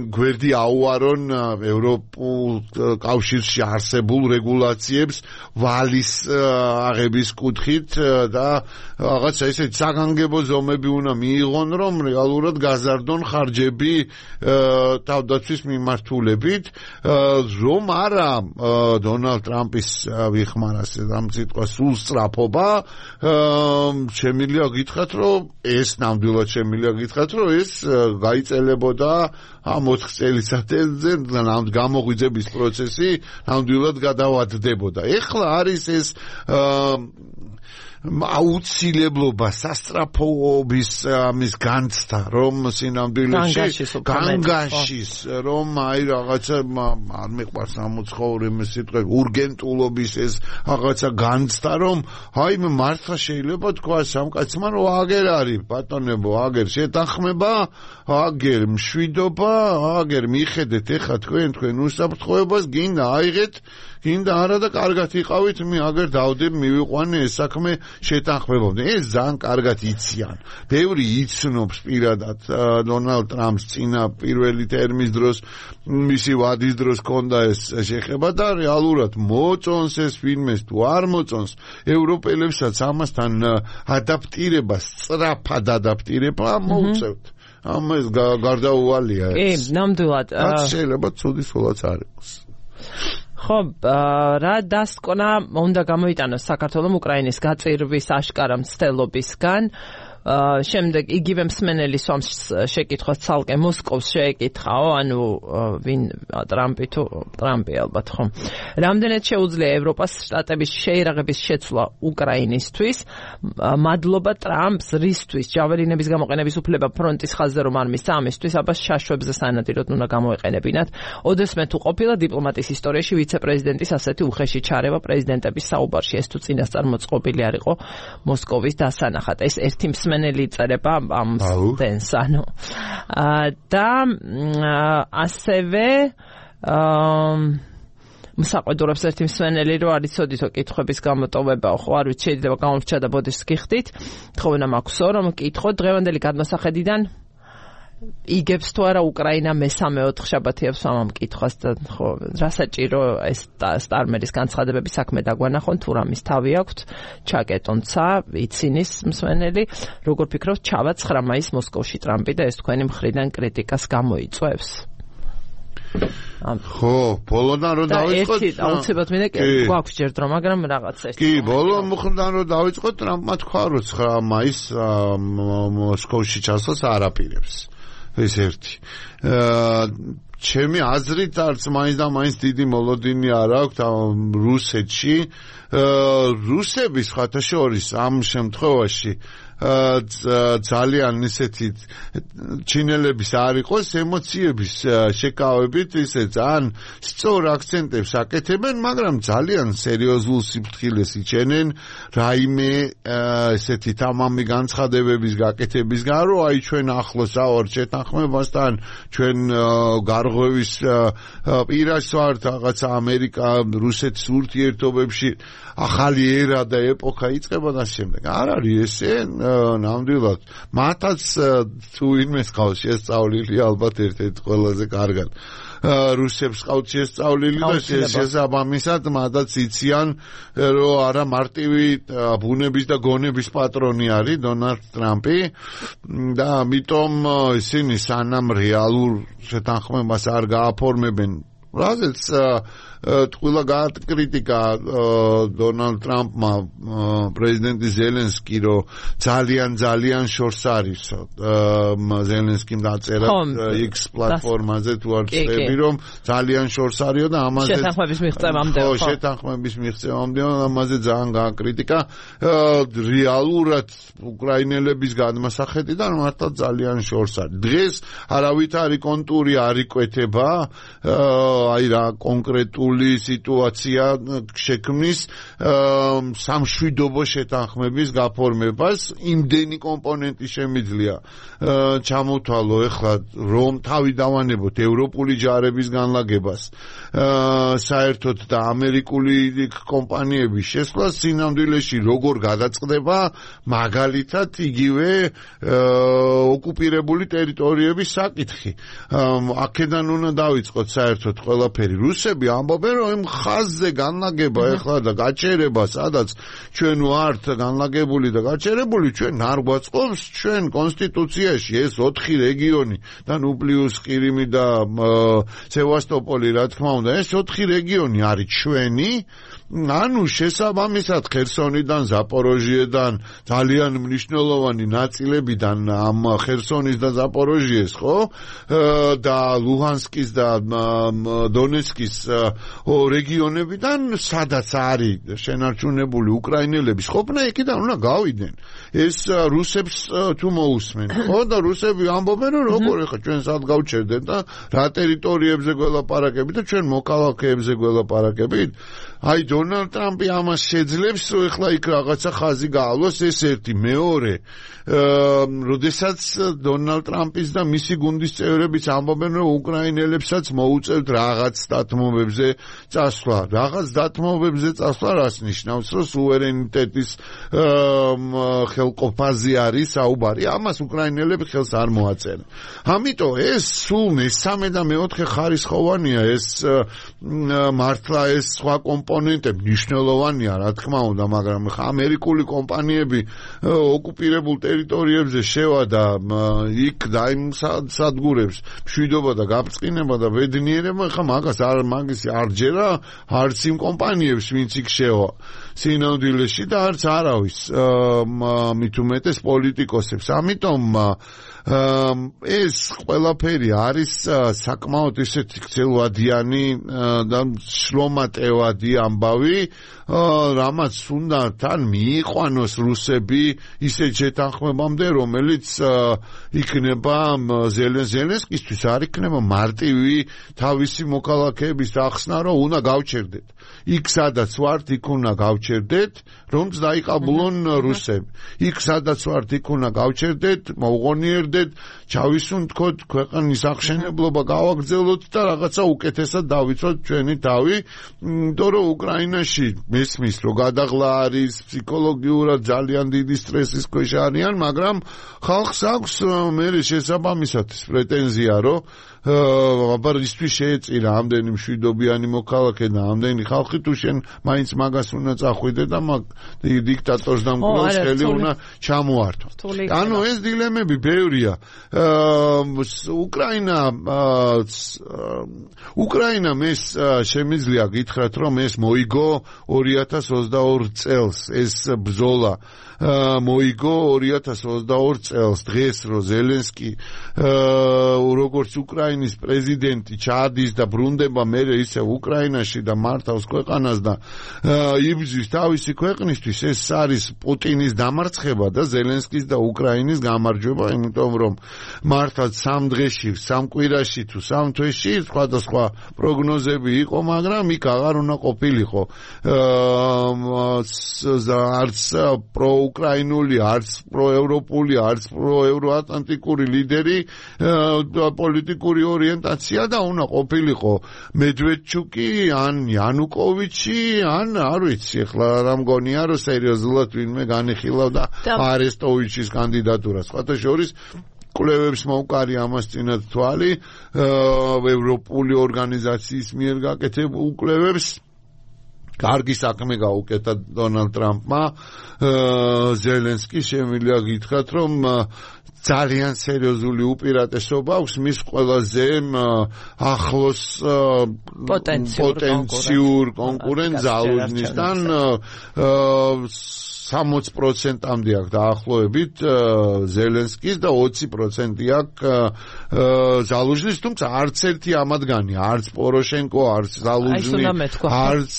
გვერდი აუარონ ევროპულ კავშირში არსებულ რეგულაციებს ვალის აღების კუთხით და რაღაცა ისეთი საგანგებო ზომები უნდა მიიღონ, რომ რეალურად გაზარდონ ხარჯები თავდაცვის მიმართულებით, რომ არა დონალდ ტრამპის ვიხმარას ამ სიტყვას სულ სწრაფობა, შემიძლია გითხრათ, რომ ეს ნამდვილად შემიძლია გითხრათ, რომ ეს გაიწელებოდა ამ ოთხ წელიწადზე და გამოღვიძების პროცესი ნამდვილად გადავადდებოდა. ეხლა არის ეს აუცილებლობა სასწრაფოების ამის განცდა, რომ სინამდვილეში განგაშის, რომ აი რაღაცა არ მიყვარს ამოცხოვრი სიტყვა ურგენტულობის ეს რაღაცა განცდა, რომ აი მე მართლა შეიძლება თქვა სამკაცმა, რომ აგერ არის ბატონებო, აგერ შეთანხმება, აგერ მშვიდობა, აგერ მიხედეთ ეხლა თქვენ თქვენ უსაფრთხოებას, გინდა აიღეთ, გინდა არა და კარგად იყავით, მე აგერ დავდებ მივიყვანე ეს საქმე შეთანხმებამდე. ეს ძალიან კარგად იციან. ბევრი იცნობს პირადად დონალდ ტრამპს წინა პირველი თერმის დროს, მისი ვადის დროს ჰქონდა ეს შეხება და რეალურად მოწონს ეს ფილმეს თუ არ მოწონს, ევროპელებსაც ამასთან ადაპტირება, სწრაფად ადაპტირება მოუწევთ. ამას გარდაუვალია ეს. კი, ნამდვილად. რაც შეიძლება ცუდი სულაც არ იყოს. ხო, რა დასკვნა უნდა გამოიტანოს საქართველოს უკრაინის გაწირვის აშკარა მცდელობისგან. შემდეგ იგივე მსმენელი სვამს შეკითხვას ცალკე მოსკოვს შეეკითხაო, ანუ ვინ ტრამპი თუ ტრამპი ალბათ ხო. რამდენად შეუძლია ევროპას შტატების შეერაღების შეცვლა უკრაინისთვის? მადლობა ტრამპს რისთვის ჯაველინების გამოყენების უფლება ფრონტის ხაზზე რომ არ მისცა, ამისთვის აბა შაშვებზე სანადიროდ უნდა გამოეყენებინათ. ოდესმე თუ ყოფილა დიპლომატიის ისტორიაში ვიცე-პრეზიდენტის ასეთი უხეში ჩარევა პრეზიდენტების საუბარში, ეს თუ წინასწარ მოწყობილი არ იყო მოსკოვის დასანახად. ეს ერთი მსმენელი წერება ამ სტენს, ანუ და ასევე მსაყვედურობს ერთი მსმენელი, რომ არ იცოდითო კითხვების გამოტოვება, ხო არ ვიცი, შეიძლება გამოვრჩა და ბოდიშს გიხდით. თხოვნა მაქვსო, რომ კითხო დღევანდელი გადმოსახედიდან იგებს თუ არა უკრაინა მესამე ოთხშაბათიებს ამ კითხვას და ხო რა საჭირო ეს სტარმერის განცხადებების საქმე დაგვანახონ თუ რამის თავი აქვს ჩაკეტონცა იცინის მსმენელი როგორ ფიქრობთ ჩავა ცხრა მაისს მოსკოვში ტრამპი და ეს თქვენი მხრიდან კრიტიკას გამოიწვევს ხო ბოლოდან რომ დავიწყოთ ერთი აუცილებლად მინდა გვაქვს ჯერდრო მაგრამ რაღაც ერთი კი ბოლო მხრიდან რომ დავიწყოთ ტრამპმა თქვა რომ ცხრა მაისს მოსკოვში ჩასვლას არ აპირებს ეს ერთი. ჩემი აზრით არც მაინც და მაინც დიდი მოლოდინი არ აქვს რუსეთში. რუსების ხათაშორის ამ შემთხვევაში ძალიან ისეთი ჩინელების არ იყოს ემოციების შეკავებით ისე ძალიან სწორ აქცენტებს აკეთებენ, მაგრამ ძალიან სერიოზულ სიფრთხილეს იჩენენ რაიმე ესეთი თამამი განცხადებების გაკეთებისგან, რომ აი ჩვენ ახლოს ავართ შეთანხმებასთან, ჩვენ გარღვევის პირას ვართ რაღაცა ამერიკა რუსეთის ურთიერთობებში ახალი ერა და ეპოქა იწყება და შემდეგ. არ არის ესე ნამდვილად მათაც თუ ვინმეს ყავს შესწავლილი ალბათ ერთ-ერთ ყველაზე კარგად რუსებს ყავთ შესწავლილი და შესაბამისად მადაც იციან რომ არა მარტივი ბუნების და გონების პატრონი არის დონალდ ტრამპი და ამიტომ ისინი სანამ რეალურ შეთანხმებას არ გააფორმებენ რაზეც ტყუილა გააკრიტიკა დონალდ ტრამპმა პრეზიდენტი ზელენსკი რომ ძალიან ძალიან შორს არის ზელენსკიმ დაწერა X პლატფორმაზე თუ არ წები რომ ძალიან შორს არისო და ამაზე შეთანხმების მიღწევამდე ხო შეთანხმების მიღწევამდე ამაზე ძალიან გააკრიტიკა რეალურად უკრაინელების გადმოსახედიდან მართლა ძალიან შორს არის დღეს არავითარი კონტური არ იკვეთება აი რა კონკრეტულ სიტუაცია შექმნის სამშვიდობო შეთანხმების გაფორმებას იმდენი კომპონენტი შემიძლია ჩამოთვალო ეხლა რომ თავი დავანებოთ ევროპული ჯარების განლაგებას საერთოდ და ამერიკული კომპანიების შესვლა სინამდვილეში როგორ გადაწყდება მაგალითად იგივე ოკუპირებული ტერიტორიების საკითხი აქედან უნდა დავიწყოთ საერთოდ ყველაფერი რუსები ამბობენ რომ იმ ხაზზე განლაგება ეხლა და გაჩერება სადაც ჩვენ ვართ განლაგებული და გაჩერებული ჩვენ არ გვაწყობს ჩვენ კონსტიტუციაში ეს ოთხი რეგიონი და ნუ პლუს ყირიმი და სევასტოპოლი რა თქმა უნდა ეს ოთხი რეგიონი არის ჩვენი ანუ შესაბამისად ხერსონიდან ზაპოროჟიედან ძალიან მნიშვნელოვანი ნაწილებიდან ამ ხერსონის და ზაპოროჟიეს ხო და ლუჰანსკის და დონეცკის რეგიონებიდან სადაც არის შენარჩუნებული უკრაინელების ყოფნა იქიდან უნდა გავიდნენ ეს რუსებს თუ მოусმენ ხო და რუსები ამბობენ რომ როგორ ახლა ჩვენ სად გავჩერდეთ და რა ტერიტორიებზე გველაპარაკებით და ჩვენ მოქალაქეებზე გველაპარაკებით აი დონალდ ტრამპი ამას შეძლებს რომ ეხლა იქ რაღაცა ხაზი გაავლოს ეს ერთი მეორე როდესაც დონალდ ტრამპის და მისი გუნდის წევრებიც ამბობენ რომ უკრაინელებსაც მოუწევთ რაღაც დათმობებზე წასვლა რაღაც დათმობებზე წასვლა რას ნიშნავს რომ სუვერენიტეტის ხელყოფაზე არის საუბარი ამას უკრაინელები ხელს არ მოაწერენ ამიტომ ეს სულ მესამე და მეოთხე ხარისხოვანია ეს მართლა ეს სხვა კომპონენტები მნიშვნელოვანია რა თქმა უნდა მაგრამ ამერიკული კომპანიები ოკუპირებულ ტერიტორიებზე შევა და იქ დაიმ სადგურებს მშვიდობა და გაბწყინება და ბედნიერება ხა მაგას არ მაგის არ ჯერა არც იმ კომპანიებს ვინც იქ შევა სინამდვილეში და არც არავის მით უმეტეს პოლიტიკოსებს ამიტომ ეს ყველაფერი არის საკმაოდ ისეთი გრძელვადიანი და შრომატევადი ამბავი რამაც უნდა თან მიიყვანოს რუსები ისეთ შეთანხმებამდე რომელიც იქნება ზელენსკისთვის არ იქნება მარტივი თავისი მოქალაქეების ახსნა რომ უნდა გავჩერდეთ იქ სადაც ვართ იქ უნდა გავჩერდეთ რომც დაიყაბულონ რუსები იქ სადაც ვართ იქ უნდა გავჩერდეთ მოუღონიერდეთ ჩავისუნთქოთ ქვეყნის აღშენებლობა გავაგრძელოთ და რაღაცა უკეთესად დავიცვათ ჩვენი თავი იმიტომ რომ უკრაინაში მესმის რომ გადაღლა არის ფსიქოლოგიურად ძალიან დიდი სტრესის ქვეშ არიან მაგრამ ხალხს აქვს მე შესაბამისად პრეტენზია რომ აბა ისთვის შეეწირა ამდენი მშვიდობიანი მოქალაქე და ამდენი ხალხი თუ შენ მაინც მაგას უნდა წახვიდე და მაგ დიქტატორს და მკვლელს ხელი უნდა ჩამოართო ანუ ეს დილემები ბევრია უკრაინა უკრაინა მეს შემიძლია გითხრათ რომ ეს მოიგო ორი ათას ოცდაორი წელს ეს ბრძოლა მოიგო ორი ათას ოცდაორი წელს დღეს რომ ზელენსკი როგორც უკრაინის პრეზიდენტი ჩადის და ბრუნდება მერე ისე უკრაინაში და მართავს ქვეყანას და იბრძვის თავისი ქვეყნისთვის ეს არის პუტინის დამარცხება და ზელენსკის და უკრაინის გამარჯვება იმიტომ რომ მართლა სამ დღეში სამ კვირაში თუ სამ თვეში სხვადასხვა პროგნოზები იყო მაგრამ იქ აღარ უნდა ყოფილიყო არც პრო უკრაინული არც პროევროპული არც პროევროატლანტიკური ლიდერი პოლიტიკური ორიენტაცია და უნდა ყოფილიყო მედვედჩუკი ან იანუკოვიჩი ან არ ვიცი ახლა რა მგონია რომ სერიოზულად ვინმე განიხილავდა არესტოვიჩის კანდიდატურას სხვათა შორის კვლევებს მოუკარი ამას წინათ თვალი ევროპული ორგანიზაციის მიერ გაკეთებულ კვლევებს კარგი საქმე გაუკეთა დონალდ ტრამპმა ზელენსკი შემიძლია გითხრათ რომ ძალიან სერიოზული უპირატესობა აქვს მის ყველაზე ახლოს პოტენციურ კონკურენტ ზალუჟნისთან სამოცი პროცენტამდე აქვს დაახლოებით ზელენსკის და ოცი პროცენტი აქვს ზალუჟნის, თუმცა არც ერთი ამათგანი, არც პოროშენკო, არც ზალუჟნი, არც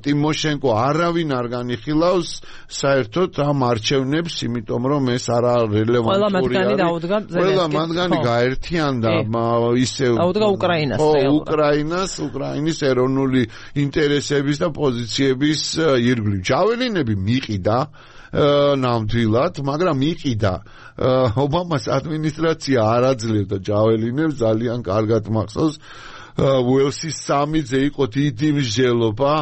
ტიმოშენკო არავინ არ განიხილავს საერთოდ ამ არჩევნებს, იმიტომ რომ ეს არა რელევანტური არის. ყველა მათგანი გაერთიანდა ისევ დაუდგა უკრაინას. ხო, უკრაინას, უკრაინის ეროვნული ინტერესების და პოზიციების ირგვლივ. ჟაველინები მიყიდა ნამდვილად, მაგრამ მიყიდა ობამას ადმინისტრაცია არ აძლევდა ჟაველინებს, ძალიან კარგად მახსოვს უელსის სამიძე იყო დიდი მსჯელობა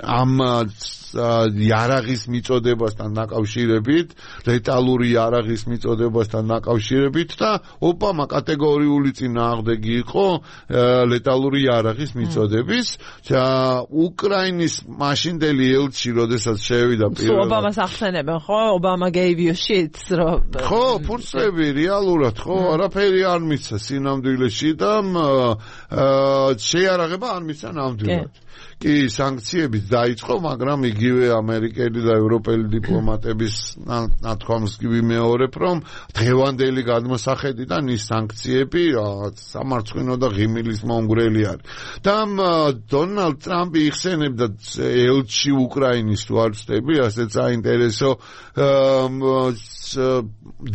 ამ იარაღის მიწოდებასთან დაკავშირებით, ლეტალური იარაღის მიწოდებასთან დაკავშირებით და ობამა კატეგორიული წინააღმდეგი იყო ლეტალური იარაღის მიწოდების. უკრაინის მაშინდელი ელჩი, როდესაც შევიდა პირველად. ობამას ახსენებენ, ხო? ობამა gave you shit, რომ ხო, ფურცლები რეალურად, ხო, არაფერი არ მიცა სინამდვილეში და შეიარაღება არ მიცა ნამდვილად. კი, სანქციებიც დაიწყო, მაგრამ იგივე ამერიკელი და ევროპელი დიპლომატების ნათქვამს ვიმეორებ, რომ დღევანდელი გადმოსახედიდან ის სანქციები სამარცხვინო და ღიმილის მომგვრელი არის. და დონალდ ტრამპი იხსენებდა ელჩი უკრაინის თუ არ ვწდები, ასეთ საინტერესო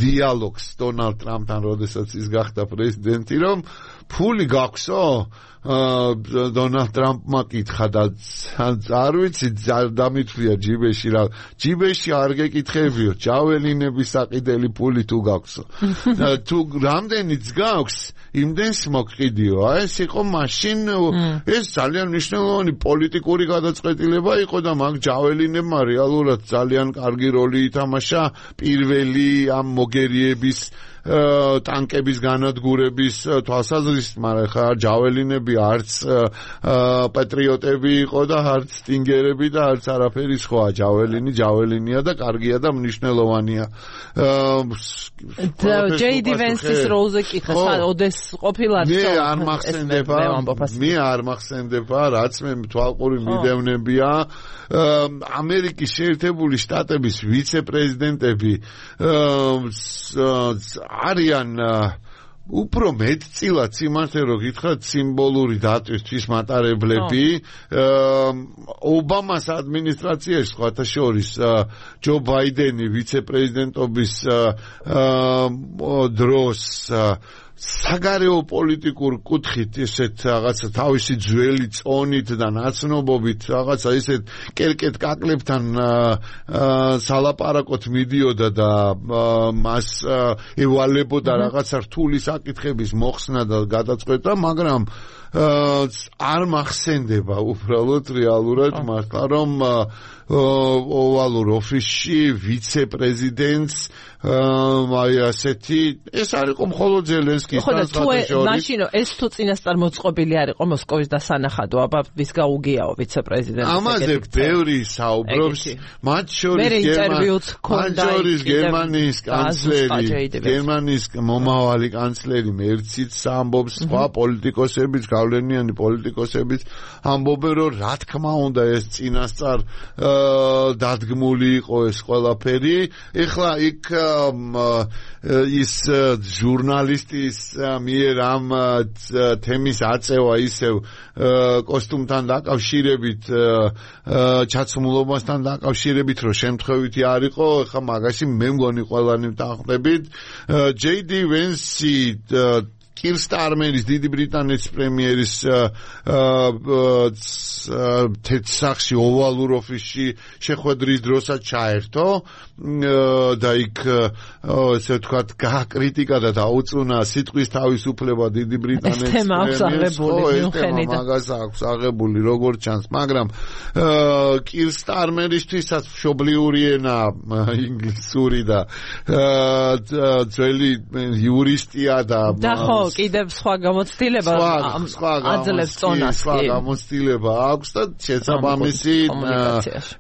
დიალოგს დონალდ ტრამპთან, როდესაც ის გახდა პრეზიდენტი, რომ ფული გაქვსო? დონალდ ტრამპმა კითხა და არ ვიცი დამითვლია ჯიბეში რა ჯიბეში არ გეკითხებიო ჯაველინების საყიდელი ფული თუ გაქვსო თუ რამდენიც გაქვს იმდენს მოგყიდიო აი ეს იყო მაშინ ეს ძალიან მნიშვნელოვანი პოლიტიკური გადაწყვეტილება იყო და მაგ ჯაველინებმა რეალურად ძალიან კარგი როლი ითამაშა პირველი ამ მოგერიების ტანკების განადგურების თვალსაზრისით, მაგრამ ხა ჯაველინები არც პატრიოტები იყო და არც სტინგერები და არც არაფერი სხვა. ჯაველინი ჯაველინია და კარგია და მნიშვნელოვანია. ჯეი დი ვენსის როლზე კითხა, ოდეს ყოფილა მე არ მახსენდება, მე არ მახსენდება, რაც მე თვალყური მიდევნებია ამერიკის შეერთებული შტატების ვიცე-პრეზიდენტები არიან უფრო მეტწილად სიმართლე რო გითხრათ სიმბოლური დატვისთვის მატარებლები ობამას ადმინისტრაციაში სხვათა შორის ჯო ბაიდენი ვიცე-პრეზიდენტობის დროს საგარეო პოლიტიკურ კუთხით ესეთ რაღაცა თავისი ძველი წონით და ნაცნობობით რაღაცა ესეთ კერკეთ კაკლებთან სალაპარაკოთ მიდიოდა და მას ევალებოდა რაღაცა რთული საკითხების მოხსნა და გადაწყვეტა, მაგრამ არ მახსენდება უბრალოდ რეალურად მართლა რომ ოვალურ ოფისში ვიცე-პრეზიდენტს აი ასეთი ეს არ იყო მხოლოდ ზელენსკის და სხვათა მაშინ ეს თუ წინასწარ მოწყობილი არ იყო მოსკოვის დასანახადო აბა ვის გაუგიაო ვიცე-პრეზიდენტს ამაზე ბევრი საუბრობს მათ შორის გერმანიის კანცლერი გერმანიის მომავალი კანცლერი მერციც ამბობს სხვა პოლიტიკოსებიც გავლენიანი პოლიტიკოსებიც ამბობენ რომ რა თქმა უნდა ეს წინასწარ დადგმული იყო ეს ყველაფერი ეხლა იქ ის ჟურნალისტის მიერ ამ თემის აწევა ისევ კოსტუმთან დაკავშირებით ჩაცმულობასთან დაკავშირებით რომ შემთხვევითი არ იყო ეხლა მაგაში მე მგონი ყველანი ვთანხმდებით ჯეი დი ვენსი კირ სტარმერის დიდი ბრიტანეთის პრემიერის თეთრსახში ოვალურ ოფისში შეხვედრის დროსაც ჩაერთო და იქ ესე ვთქვათ გააკრიტიკა და დაუწუნა სიტყვის თავისუფლება დიდი ბრიტანეთის პრემიერს მაგას აქვს აღებული როგორც ჩანს მაგრამ კირ სტარმერისთვისაც მშობლიური ენა ინგლისური და ძველი იურისტია და და ხო კიდევ სხვა გამოცდილება აძლევს წონას სხვა გამოცდილება აქვს და შესაბამისი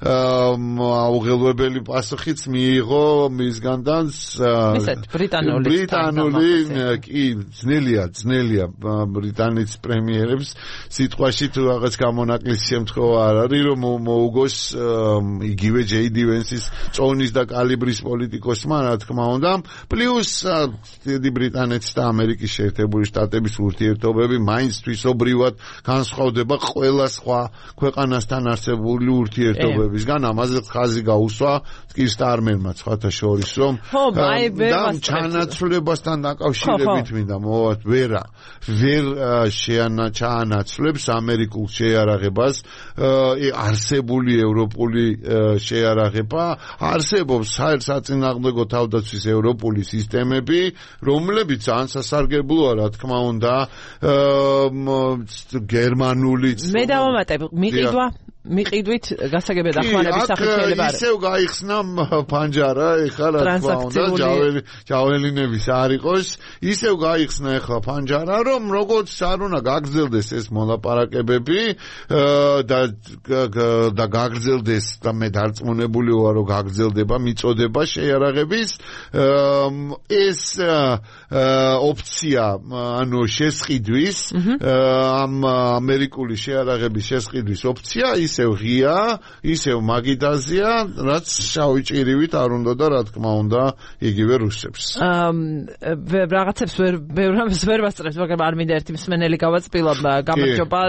აუღელვებელი პასუხიც მიიღო მისგან და ბრიტანული ბრიტანული კი ძნელია ძნელია ბრიტანეთის პრემიერებს სიტყვაში თუ რაღაც გამონაკლის შემთხვევა არ არის რომ მოუგოს იგივე ჯეიდი ვენსის წონის და კალიბრის პოლიტიკოსმა რა თქმა უნდა პლუს დიდი ბრიტანეთის და ამერიკის შეერთებული შტატების ურთიერთობები მაინც თვისობრივად განსხვავდება ყველა სხვა ქვეყანასთან არსებული ურთიერთობებისგან ამაზე ხაზი გაუსვა კირ სტარმერმა სხვათა შორის რომ და ჩანაცვლებასთან დაკავშირებით მინდა მოვათ ვერა ვერ შეანაცვლებს ამერიკულ შეიარაღებას არსებული ევროპული შეიარაღება არსებობს საწინააღმდეგო თავდაცვის ევროპული სისტემები რომლებიც ძალიან სასარგებლოა რა თქმა უნდა გერმანულიც მე დავამატებ მიყიდვა მიყიდვით გასაგებია დახმარების სახით შეიძლება არის ისევ გაიხსნა ფანჯარა ეხლა რა თქმა უნდა ჯაველი ჯაველინების არ იყოს ისევ გაიხსნა ეხლა ფანჯარა რომ როგორც არ უნდა გაგრძელდეს ეს მოლაპარაკებები და და გაგრძელდეს და მე დარწმუნებული ვარ რომ გაგრძელდება მიწოდება შეიარაღების ეს ოპცია ანუ შესყიდვის ამ ამერიკული შეიარაღების შესყიდვის ოპცია ისევ ღია, ისევ მაგიდაზია, რაც შავი ჭირივით არ უნდა და რა თქმა უნდა იგივე რუსებს. აა რაღაცებს ვერ ბევრს ვერ ვასწრებს, მაგრამ არ მინდა ერთი მსმენელი გავაწილო, გამარჯობა,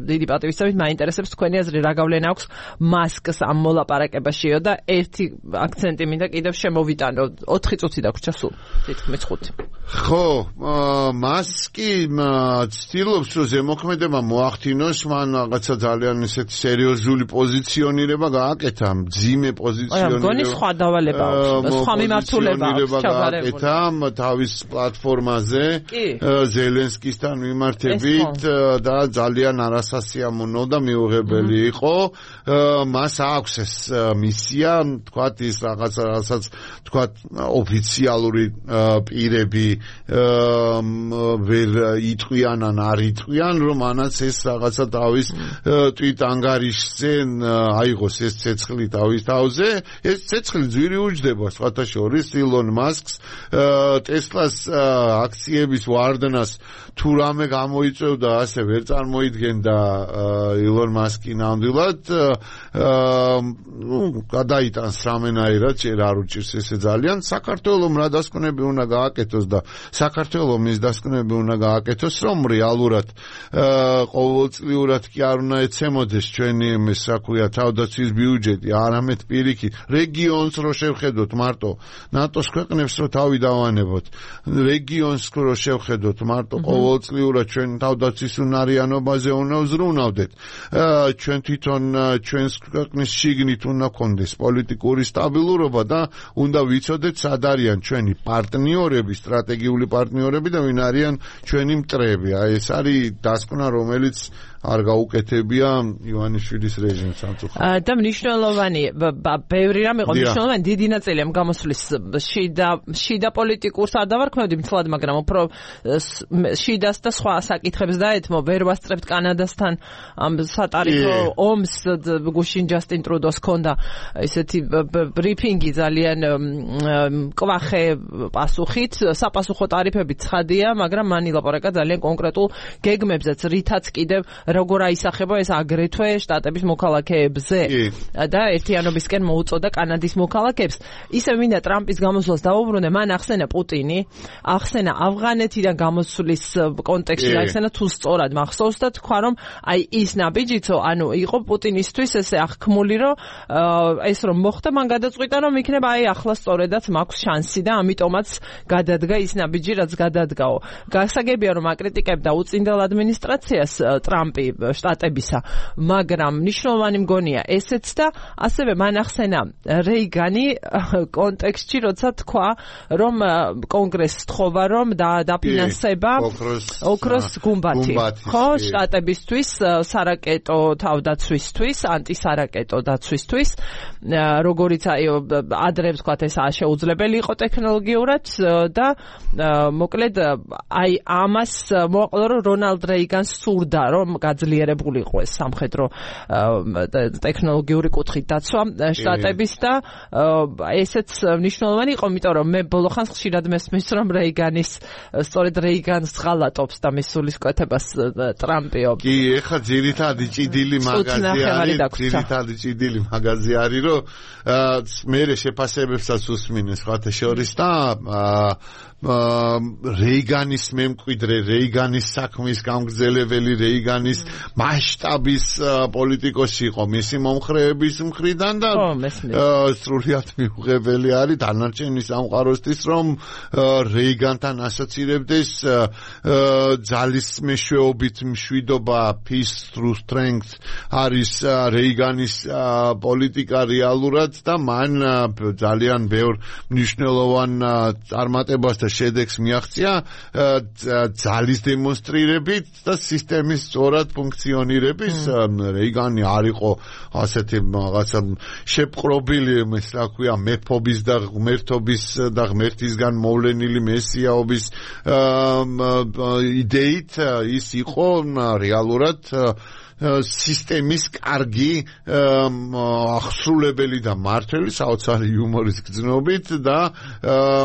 დიდი პატივისცემით, მაინტერესებს თქვენი აზრი, რა გავლენა აქვს მასკს ამ მოლაპარაკებაშიო და ერთი აქცენტი მინდა კიდევ შემოვიტანო. ოთხი წუთი დაგვრჩა სულ. თითქმის ხუთი. ხო, მასკი ცდილობს რომ ზემოქმედება მოახდინოს, მან რაღაცა ძალიან ესეთ სერიოზული პოზიციონირება გააკეთა, მძიმე პოზიციონირება. აი, გონი სხვა დავალება აქვს, სხვა მიმართულება აქვს ჩავარებული. თავის პლატფორმაზე ზელენსკისთან მიმართებით და ძალიან არასასიამოვნო და მიუღებელი იყო. მას აქვს ეს მისია, თქვათ ის რაღაცა, რასაც თქვათ ოფიციალური პირები ვერ იტყვიან ან არ იტყვიან, რომ ანაც ეს რაღაცა თავის ტვიტ ანგარიშზე აიღოს ეს ცეცხლი თავის თავზე. ეს ცეცხლი ძვირი უჯდება სხვათა შორის ილონ მასკს ტესლას აქციების ვარდნას თუ რამე გამოიწევდა ასე ვერ წარმოიდგენდა ილონ მასკი ნამდვილად გადაიტანს რამენაირად ჯერ არ უჭირს ესე ძალიან საქართველოს რა დასკვნები უნდა გააკეთოს და საქართველოს მის დასკვნები უნდა გააკეთოს რომ რეალურად ყოველწლიურად კი არ უნდა ეცემოდეს ჩვენი ეს რა ქვია თავდაცვის ბიუჯეტი არამედ პირიქით რეგიონს რო შევხედოთ მარტო ნატოს ქვეყნებს რო თავი დავანებოთ რეგიონს რო შევხედოთ მარტო ყოველწლიურად ჩვენ თავდაცვის უნარიანობაზე უნდა ვზრუნავდეთ ჩვენ თვითონ ჩვენს ქვეყნის შიგნით უნდა გქონდეს პოლიტიკური სტაბილურობა და უნდა ვიცოდეთ სად არიან ჩვენი პარტნიორები სტრატეგიული პარტნიორები და ვინ არიან ჩვენი მტრები აი ეს არის დასკვნა რომელიც არ გაუკეთებია ივანიშვილის რეჟიმს ამწუხარად. და მნიშვნელოვანი ბევრი რამ იყო მნიშვნელოვანი დიდი ნაწილი ამ გამოსვლის შიდა შიდა პოლიტიკურს არ დავარქმევდი მთლად, მაგრამ უფრო შიდას და სხვა საკითხებს დაეთმო ვერ ვასწრებთ კანადასთან ამ სატარიფო ომს გუშინ ჯასტინ ტრუდოს ჰქონდა ესეთი ბრიფინგი ძალიან კვახე პასუხით, sapasukho ტარიფები ცხადია, მაგრამ მან ილაპარაკა ძალიან კონკრეტულ გეგმებზეც, რითაც კიდევ როგორ აისახება ეს აგრეთვე შტატების მოქალაქეებზე და ერთიანობისკენ მოუწოდა კანადის მოქალაქეებს. ისე მინდა ტრამპის გამოსვლას დავუბრუნდე, მან ახსენა პუტინი, ახსენა ავღანეთიდან გამოსვლის კონტექსტში, ახსენა თუ სწორად მახსოვს და თქვა რომ აი ის ნაბიჯიცო, ანუ იყო პუტინისთვის ესე აღქმული, რომ ეს რომ მოხდა, მან გადაწყვიტა რომ იქნება აი ახლა სწორედაც მაქვს შანსი და ამიტომაც გადადგა ის ნაბიჯი, რაც გადადგაო. გასაგებია რომ აკრიტიკებდა უწინდელ ადმინისტრაციას ტრამპი შტატებისა, მაგრამ მნიშვნელოვანი მგონია ესეც და ასევე მან ახსენა რეიგანი კონტექსტში, როცა თქვა რომ კონგრესს თხოვა რომ დაფინანსება ოქროს გუმბათი, ხო, შტატებისთვის სარაკეტო თავდაცვისთვის, ანტისარაკეტო დაცვისთვის, როგორიც აი ადრე ვთქვათ ეს შეუძლებელი იყო ტექნოლოგიურად და მოკლედ აი ამას მოაყოლა რომ რონალდ რეიგანს სურდა რომ გაძლიერებულიყო ეს სამხედრო ტექნოლოგიური კუთხით დაცვა შტატების და ესეც მნიშვნელოვანი იყო, იმიტომ რომ მე ბოლო ხანს ხშირად მესმის რომ რეიგანის სწორედ რეიგანს ღალატობს და მისულის კვეთებას ტრამპიო. კი, ეხლა ძირითადი ჭიდილი მაგაზი არის, ძირითადი ჭიდილი მაგაზი არის, რომ მე შეფასებებსაც უსმინეს სხვათა შორის და რეიგანის მემკვიდრე, რეიგანის საქმის გამგრძელებელი, რეიგანის მასშტაბის პოლიტიკოსი იყო მისი მომხრეების მხრიდან და სრულიად მიუღებელი არის დანარჩენი სამყაროსთვის, რომ რეიგანთან ასოცირებდეს ძალის მეშვეობით მშვიდობა, peace through strength არის რეიგანის პოლიტიკა რეალურად და მან ძალიან ბევრ მნიშვნელოვან წარმატებას და შედეგს მიაღწია ძალის დემონსტრირებით და სისტემის სწორად ფუნქციონირების. რეიგანი არ იყო ასეთი რაღაცა შეპყრობილი, ეს რა ქვია, მეფობის და ღმერთობის და ღმერთისგან მოვლენილი მესიაობის იდეით, ის იყო რეალურად სისტემის კარგი აღსრულებელი და მართველი საოცარი იუმორის გრძნობით და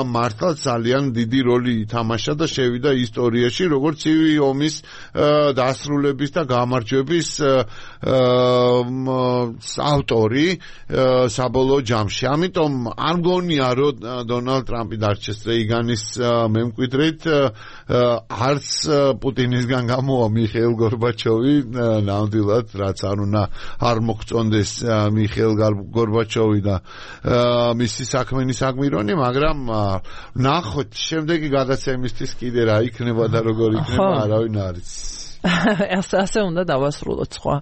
მართლა ძალიან დიდი როლი ითამაშა და შევიდა ისტორიაში როგორც ცივი ომის დასრულების და გამარჯვების ავტორი საბოლოო ჯამში. ამიტომ არ მგონია რომ დონალდ ტრამპი დარჩეს რეიგანის მემკვიდრედ, არც პუტინისგან გამოვა მიხეილ გორბაჩოვი, ნამდვილად, რაც არ უნდა არ მოგწონდეს მიხეილ გორბაჩოვი და მისი საქმენი საგმირონი, მაგრამ ნახოთ შემდეგი გადაცემისთვის კიდე რა იქნება და როგორ იქნება, არავინ არის. ასე უნდა დავასრულოთ სხვა.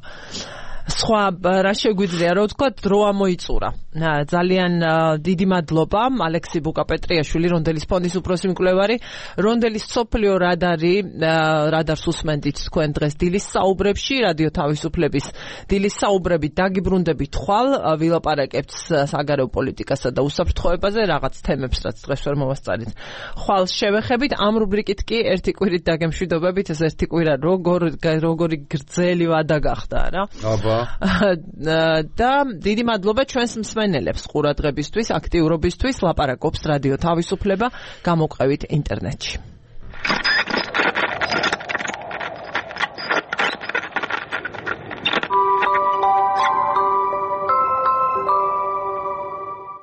სხვა რა შეგვიძლია რომ ვთქვა, დრო ამოიწურა. ძალიან დიდი მადლობა ალექსი ბუკაპეტრიაშვილი, რონდელის ფონდის უფროსი მკვლევარი, რონდელის სოფლიო რადარი, რადარს უსმენთ თქვენ დღეს დილის საუბრებში, რადიო თავისუფლების დილის საუბრებით დაგიბრუნდებით ხვალ, ვილაპარაკებთ საგარეო პოლიტიკასა და უსაფრთხოებაზე, რაღაც თემებს, რაც დღეს ვერ მოვასწარით. ხვალ შევეხებით, ამ რუბრიკით კი ერთი კვირით დაგემშვიდობებით, ეს ერთი კვირა როგორ როგორი გრძელი ვადა გახდა რა. აბა და დიდი მადლობა ჩვენს მსმენელებს ყურადღებისთვის, აქტიურობისთვის. ლაპარაკობს რადიო თავისუფლება, გამოყევით ინტერნეტში.